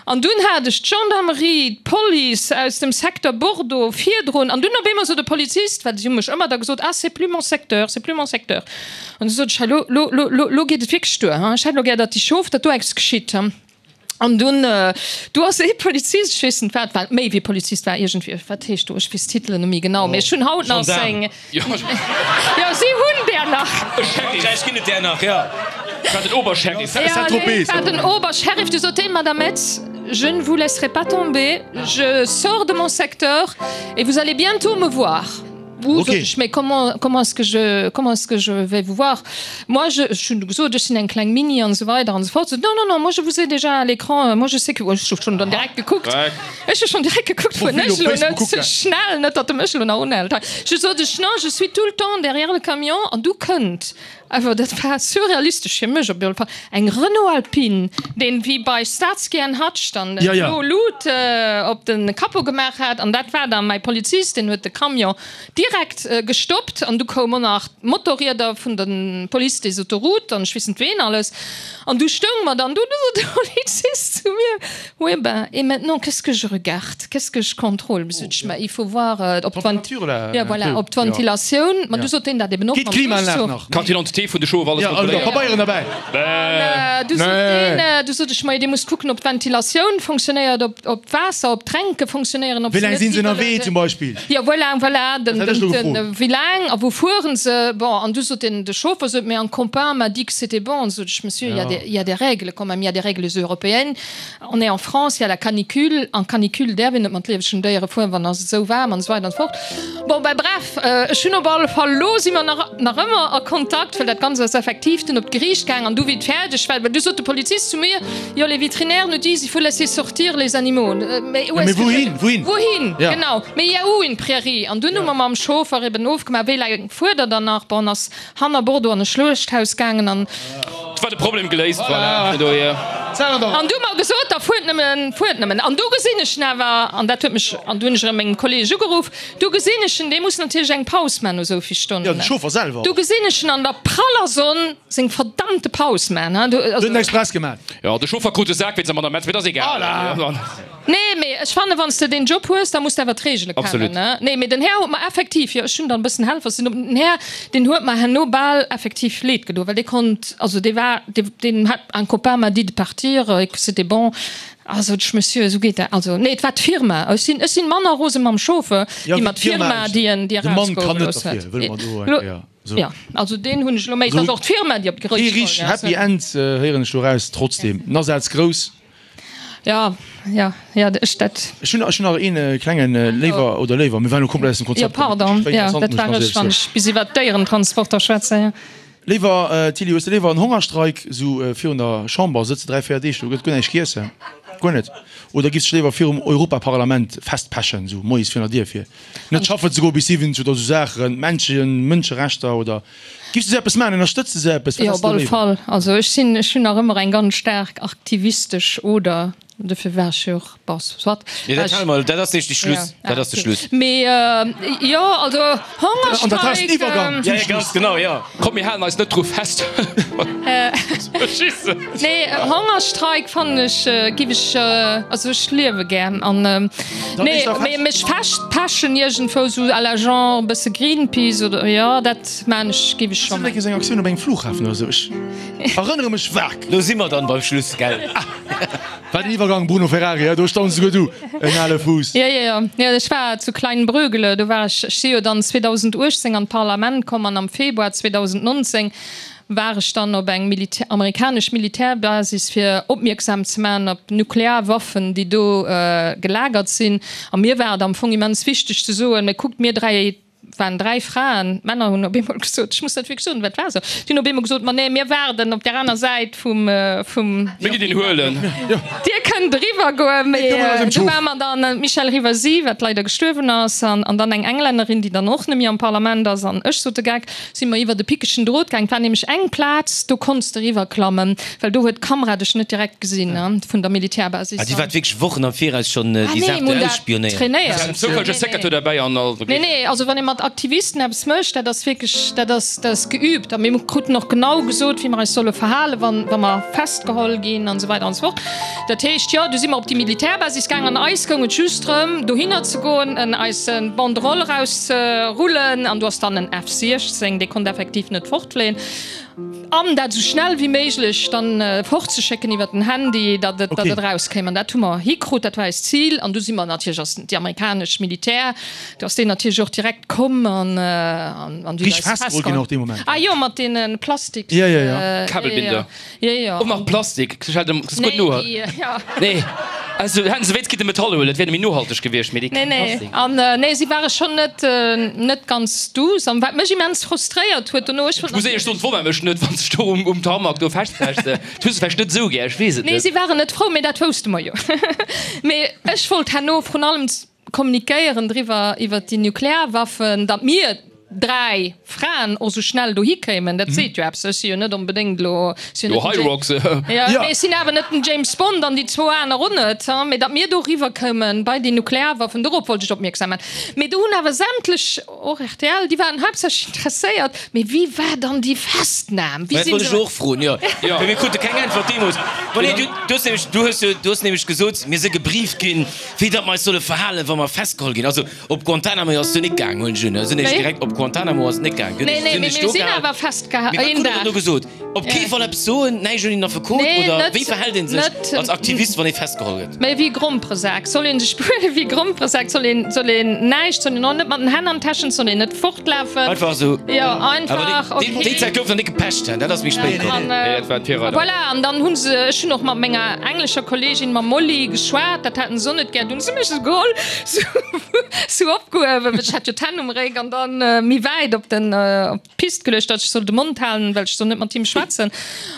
An dunn hat ech d'Gendarmerie, d'Police aus dem Secteur Bordeaux virdrun. An dunn op eemol sot de Polizist, well si hu mech ëmmer da gesot, ah, c'est plus mon secteur, c'est plus mon secteur. An du sot ech, hei, lo, lo, lo, lo, lo geet et wierklech duer, hein. Ech hätt lo gär, datt déi Schof, datt do eppes geschitt, hein. An dunn, do ass ee Polizist, ech weess net wat, well méi wéi Polizist war iergendwéi, wat heescht do, ech weess d'Titelen net méi genau, mee ech hunn haut nach seng. Jo, si hunn där nach. A Frankräich ginn et där nach, jo. War den Obersheriff. Ja, nee, war den Obersheriff. Du sot deen, Madame Metz, je ne vous laisserai pas tomber, je sors de mon secteur et vous allez bientôt me voir. Ouh, sot ech, mais comment, comment est-ce que je, comment est-ce que je vais vous voir? Moi, je, ech hunn du gesot, ech sinn eng kleng Mini an esou weider an esou fort. Sot, non, non, non, moi je vous ai déjà à l'écran, moi je sais que, ech hu schonn dann direkt gekuckt, ech hu schonn direkt gekuckt, wou ech elo net ze schnell, net datt e mech elo nach unhält hei. Je sot ech, non, je suis tout le temps derrière le camion an du kënnt awer, dat war surrealistesch fir mech op jidde Fall, eng Renault Alpine, deen wéi bei Starsky and Hutch dann blo Lut op de Capot gemaach hat an dat war dann mäi Polizist, deen huet de Camion direkt gestoppt an du koum och nach d'Motorrieder vun der Police des Autoroutes an ech weess net ween alles an du stoung mer dann do, du sot de Polizist zu mir, Oui, ben, et maintenant, qu'est-ce que je regarde, qu'est-ce que je contrôle? Sot ech, Ma il faut voir, ob d'Vent, ja voilà, ob d'Ventilatioun, ma du sot deen dat eben och mam Duerchzuch. Quand il entre D'Identité vun de Schof, alles Ja, also kontrolléiert. Pabeieren derbäi. An du sot deen, du sot ech, majo, dir musst kucken, ob d'Ventilatioun fonctionnéiert, ob, ob d'Waasser, ob d'Tränke fonctionnéieren, ob Wéi se laang net sinn se ënnerwee iwwerluede. zum Beispill? Jo, voilà, voilà, den, Dat hätt ech den, elo den, gefrot. wéi laang a wou fueren se? Bon, an du sot den, de Chauffer sot, mais un copain m'a dit que c'était bon. Sot ech, Monsieur, il y a des, il y a des règles quand même, il y a des règles européennes. On est en France, il y a la canicule. En canicule däerf een net mat liewegen Déiere fueren, wann ass et esou waarm an esou weider an esou fort. Bon, ben bref, ech hunn op alle Fall, elo si mer nach, nach ëmmer a Kontakt, well dat Ganzt ass effektiv dunn op d'Geriicht gaang an du wéi et fäerdeg war, well du sot de Polizist zu mir, jo, les vétérinaires nous disent, il faut laisser sortir les animaux. Mais où Ja, est-ce mee que je- wouhin, wouhin? Wouhin, Ja. genau. Mais il y a où une prairie? An dunn hu mer mam Chauffer eben ofgemaach, wéi laang fuert der dann nach? Bon, ass hanner Bordeaux an e Schluechthaus gaangen an. Et war de Problem geléist, voilà. Voilà. Dohier. An du hu mer gesot, da fuert nëmmen, fuert nëmmen. An du gesinn ech en awer, an dat huet mech, an du hunn ech erëm mengem Kolleeg ugeruff, du gesinn ech en, dee muss natierlech eng Paus man no esou vill Stonnen. Ja, de Chauffer selwer. Du gesinn ech en an der praller Sonn seng verdammte Paus man, ha. Du, also. Huet en express gemaach. Ja, de Chauffer krut de Sak wéinst dem Amendement, mee dat ass egal. Voilà. Nee, mee ech fannen, wann s de deen Job hues, da muss de awer d'Reegele kennen, Absolut. ne? Nee, mee den Här huet mer effektiv, jo, ech hunn dann e bëssen Helfer sinn, den Här, deen huet mer herno bal effektiv leed gedoen, well dee konnt, also dee war, dee, deen hat, un copain m'a dit de partir et que c'était bon. Ah, sot ech, Monsieur, esou geet dat, also, nee, et war d'Firma. Ech sinn, ech sinn manner rose mam Chauffeur, Ja, wéi wéi mat d'Firma d'Firma, déi en, déi De Mann kann net erausgeholl derfir, huet. wëlle mer do eng Lo, Kéier sou. ja, also deen hunn ech elo méi, et ass och d'Firma, déi op d'Gericht Kee richteg geholl, Happy End héieren ech do raus, trotzdem, den Asaz grouss. Ja, ja, ja, ech dat. Ech hunn, ech hunn nach een klengen Léiwer oder Léiwer, mir waren elo komplett aus dem Konzept Jo, pardon, komm. ja, dat war ech, wann ech bis iwwert d'Déierentransporter schwätzen, ja. Léiwer, Tilly, hues de léiwer en Hongerstreik, esou virun der Chamber, sëtze dräi, véier Deeg do, gëtt guer näischt giesse, guer net, oder giffs dech léiwer virum Europaparlament festpechen, esou moies virun der Dier, fir net schaffen ze goen bis siwwenzeg oder esou Saachen, Menschen, Mënscherechter oder giffs de esou eppes maachen, ënnerstëtz de esou eppes, wat Jo, häss op de alle léiwer? Fall. Also ech sinn, ech hunn nach ëmmer eng ganz staark aktivistesch Oder. Dofir war ech jo och, bon, soit. Nee, dat hale mer, dat ass de Schluss. Ja, Dat ass de okay. Schluss. Mee jo, also An dat ass den Hongerstreik. Iwwergang Ja, ja, ganz genau, ja. Komm, mir halen eis net dru fest. Nee, Hongerstreik fannen ech, giff ech, also ech liewe gär an nee, mee mech festpechen iergendwou sou à la genre e bësse Greenpeace oder jo, dat maan ech, giff ech scho Ass dat maan. eng Kéier eng Aktioun op engem Flughafen oder sou? Ech erënnere mech vag. Do si mer dann beim Schluss, gell? Wat en Iwwergang, Bruno Ferrari, do stauns souguer du en ale Fuuss. Jo, jo, jo. Jo, ech war zu Kleinbrögele, do war ech, ech si jo dann zweedausendachtzéng an d'Parlament komm an am Februar zweedausendnonzéng war ech dann op eng Militär, amerikanesch Militärbasis fir opmierksam ze maachen op Nuklearwaffen, déi do gelagert sinn. A mir war et am Fong immens wichteg ze soen, Mä kuckt, mir dräi, waren dräi Fraen, d'Männer hunn op eemol gesot, ech muss dat wierklech soen, wat war esou, déi hunn op eemol gesot, ma nee, mir waarden op där aner Säit vum, vum. Mir ginn deen huelen. Dir kënnt eriwwer goen, mee do ware mer dann, d'Michèle Rivasi, wat leider gestuerwen ass, an, an dann eng Englännerin, déi dann och net méi am Parlament ass, an ech, sot de Geck, si mer iwwer de pickegen Drot gaang. Et war nämlech eng Plaz, do konns de eriwwerklammen, well do huet d'Kamera dech net direkt gesinn, vun der Militärbasis. Ah, déi waart wierklech Wochen am Viraus schonn déi Saach do ausspionéieren. Trainéiert. Zoufälleg e Secrétaire derbäi an all. Nee, nee, also wann ee mat Aktivisten eppes mécht, dat ass wierklech, dat ass, dat ass geübt. A mir kruten och genau gesot, wéi mer eis solle verhalen, wann, wa mer festgeholl ginn an esou weider an esou fort. Dat heescht, jo, du si mer op déi Militärbasis gaang an eis goung et just drëm, dohinner ze goen, en eis Banderole erauszerullen an du ass dann en F siechzéng, dee konnt effektiv net fortfléien. An dat esou schnell wéi méiglech dann fortzeschécken iwwer den Handy, datt et, datt et erauskéim. An dat hu mer hikrut, dat war eist Zil. An du si mer natierlech, ass déi amerikanesch Militär, do ass deen natierlech och direkt komm an, an, an déi Richteg huet eis festgeholl ginn festgeholl. och dee Moment. Ah jo, mat deene Plastiks. Ja, ja, ja. Kabelbinder. Jo, jo. Och nach Plastik, dat ass gutt Nee, no. déi, ja. Nee, also hätten se wéinst kinnte Metall huelen, dat wär méi nohalteg gewiescht, mee déi Nee, nee. Plastik. An nee, si ware schonn net, net ganz douce. An wat mech immens frustréiert huet dono, ech wollt Ech muss éierlech soen, et wonnert mech net, wann s de do um, um Tarmac do festpecht. Dat hues de vläicht net esou gär, ech weess et Nee, net. si waren net frou, mee dat wousste mer jo. Mee ech wollt herno vrun allem kommunikéieren driwwer, iwwert déi Nuklearwaffen, datt mir dräi Fraen och sou schnell dohi kéimen, dat seet jo eppes. Ech si jo net onbedéngt elo, si jo Jo, net den High Rocks. Ja, Ja. mee ech sinn awer net den James Bond an déi zwou aner och net, hein, mee datt mir do riwwer koumen bei déi Nuklearwaffen, dorop wollt ech opmierksam maachen. Mee do hunn awer sämtlech, och rtl, déi waren haaptsächlech interesséiert, mee wéi war dann déi Festnam? Wéi Dat sinn wollt ech se. och froen, jo. Ja. Mee mir krute keng Äntwert deemools. Ma nee, du, du hues nämlech, du hues jo, du hues nämlech gesot, mir si gebrieft ginn, wéi datt mer eis solle verhalen, wa mer festgeholl ginn. Also op Guantanamo ass du net gaang, hunn ech un, sinn ech Wéi? direkt op Guantanamo ass et net gaang. Nee, nee, mee mir sinn awer festgeha Mee wat een krut Der dann Dag. do gesot? Op kee Ja. Fall eppes soen, näischt un een Affekot Nee, oder net, wéi verhält ee sech net, als Aktivist, wann ee festgeholl gëtt? Mee wéi Gromperesak soll een sech behuelen, wéi Gromperesak soll een, soll een näischt, soll een och net mat den Hänn an d'Täschen, soll een net fortlafen. Einfach esou. Jo, Awer einfach, déi, déi okay. Zäit gouf nach net gepecht, dat ass méi spéit komm. An, Nee, dat war d'Virreider. voilà, an dann hunn se, ech hunn och mat menger englescher Kollegin, mam Molly, geschwat, dat haten se och net gär, dunn hu se mech esou geholl, sou, sou opgehuewen, well ech hat jo d'Hänn um Réck, an dann méi wäit op den, op d'Pist geluecht, datt ech soll de Mond halen, well ech soll net mat him schwätzen.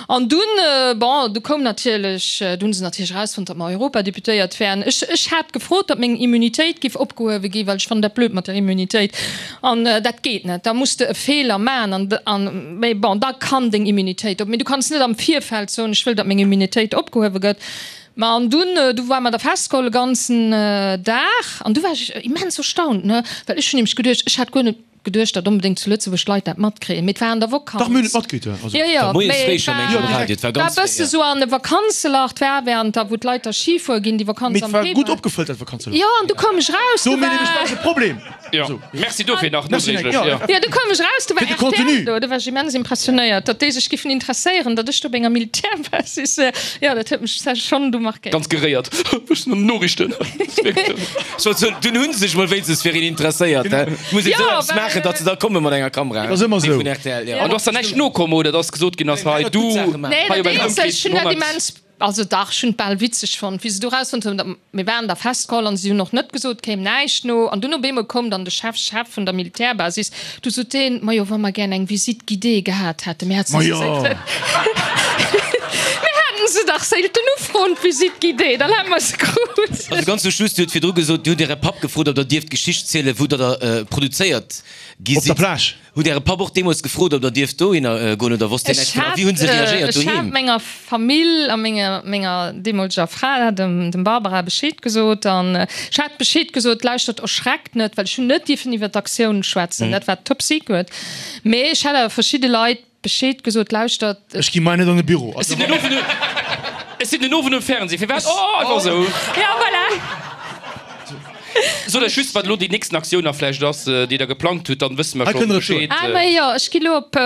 An dunn, bon, du koum natierlech, du hunn se natierlech erausfonnt, datt mer Europadeputéiert wären. Ech, ech hat gefrot, datt meng Immunitéit giff opgehuewe gi, well ech fannen dat blöd mat der Immunitéit. An dat geet net, da muss de e Feeler man an, an, mee bon, da kann deng Immunitéit op, mee du kanns net am Virfeld soen, ech wëll, datt meng Immunitéit opgehuewe gëtt. Ma an dunn, du war mer da festgeholl e ganzen Dag an du war ech immens erstaunt, ne, well ech hunn nämlech geduecht, ech hat guer net geduecht, datt onbedéngt zu Lëtzebuerg d'Leit dat matkréien, mee et war an der Vakanz. Dach, mir hunn et matkritt, also. Jo, jo, Moies mee fréi et scho, mengen ech, um war, Radio, et war war e ganz fréi, bësse ja. sou an e Vakanzelach, et war während der, wou d'Leit da Ski fuere ginn, déi Vakanz Mee et am war gutt Februar. opgefëllt, dat Vakanzelach. Jo, an du koum ech raus, Do du hu mir nämlech war. bal e Problem. Jo, merci dofir nach Merci, nodréiglech, jo. jo. Jo, du koum ech raus, du war Fir de Contenu. R T L do, du war ech immens impressionéiert, datt déi sech giffen interesséieren, datt ech do op enger Militärbasis, jo, dat huet mech schonn du markéiert. Ganz geréiert. Ech sinn an den Noriichten. Ech wollt soen, dunn hu se sech mol wéinstens fir een interesséiert, he? Muss een Jo, esou eppes well, maachen, datt se da komme mat enger Kamera, Dat ass ëmmer déi esou. vun R T L, jo. An du ass da näischt nokomm, oder datt gesot ginn ass, hei Nee, du, dat gutt Saache maachen. Nee, hei dat op engem eenzegt, ech hunn dat Ëmkrees vun honnert. immens, also dach, ech hunn et bal witzeg fonnt, wéi se do erausfonnt hunn, datt mir waren da festgeholl an si hunn och net gesot, kéim näischt no. An dunn op eemol koum dann de Chef, Chef vun der Militärbasis, du sot deen, Majo, wa mer gär eng Visite guidée gehat hätten, mir hätten se Majo! séier, mir hätten se dach séilten ufroen, d'Visite guidée, dann hätte mer se krut. Also ganz zum Schluss, Dir hutt virdru gesot, Dir hutt Äre Papp gefrot, ob Der dierft d'Geschicht zielen, wou Der da produzéiert gi Op der sidd. Plage. Hutt Äre Papp och deemools gefrot, ob Der dierft dohinner goen oder wosst deen Ech näischt dovun? A hat, wéi hunn se reagéiert ech hat doheem? menger Famill a menger, menger deemoleger Fra, dem, dem Barbara, Bescheed gesot. An ech hat Bescheed gesot, Lauschtert, erschreckt net, well ech hunn net dierfen iwwer d'Aktioun schwätzen, dat war top secret. Mee ech hat awer verschidde Leit Bescheed gesot, Lauschtert, Ech gi mei net an de Büro. Ech sinn den Owend, ech sinn den Owend um Fernseh. Firwat? Oh, einfach esou. Ja, voilà. Sot eis just, wat elo déi nächsten Aktioun nach vläicht ass, déi Der geplangt hutt, dann wësse mer Hei schonn kënnt der et soen. Bescheed. Ah, ma jo, ech gi lo op,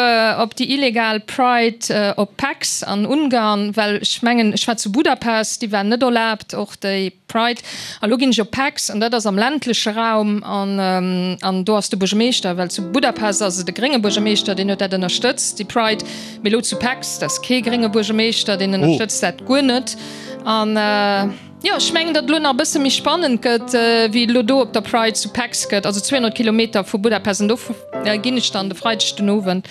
op déi illegal Pride op Pécs an Ungarn, well ech mengen, ech war zu Budapest, déi war net erlaabt, och déi Pride. A lo ginn ech op Pécs an dat ass am ländleche Raum an, an do ass de Buergermeeschter, well zu Budapest ass et e grénge Buergermeeschter, deen huet dat ënnerstëtzt, déi Pride, mee lo zu Pécs, dat ass kee grénge Buergermeeschter, deen ënnerstëtzt dat guer net. An jo, ech mengen, datt elo nach e bësse méi spannend gëtt, wéi elo do op der Pride zu Pécs gëtt, also zweehonnert Kilometer vu Budapest. An do ginn ech dann de Freideg den Owend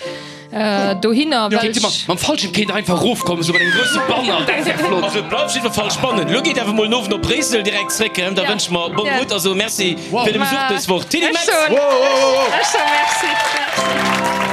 dohinner, well Kéint ech. Mam Fallschierm kéint der einfach erofkommen, esou mat engem grousse Banner, dat wär flott. Also et bleift op jidder Fall spannend. Elo geet awer mol den Owend op Bréissel direkt zréck, da wënsche mer bonne route a soe Merci fir de Besuch dës Woch. Tilly Ech Metz! soen, ech soe Merci. Merci.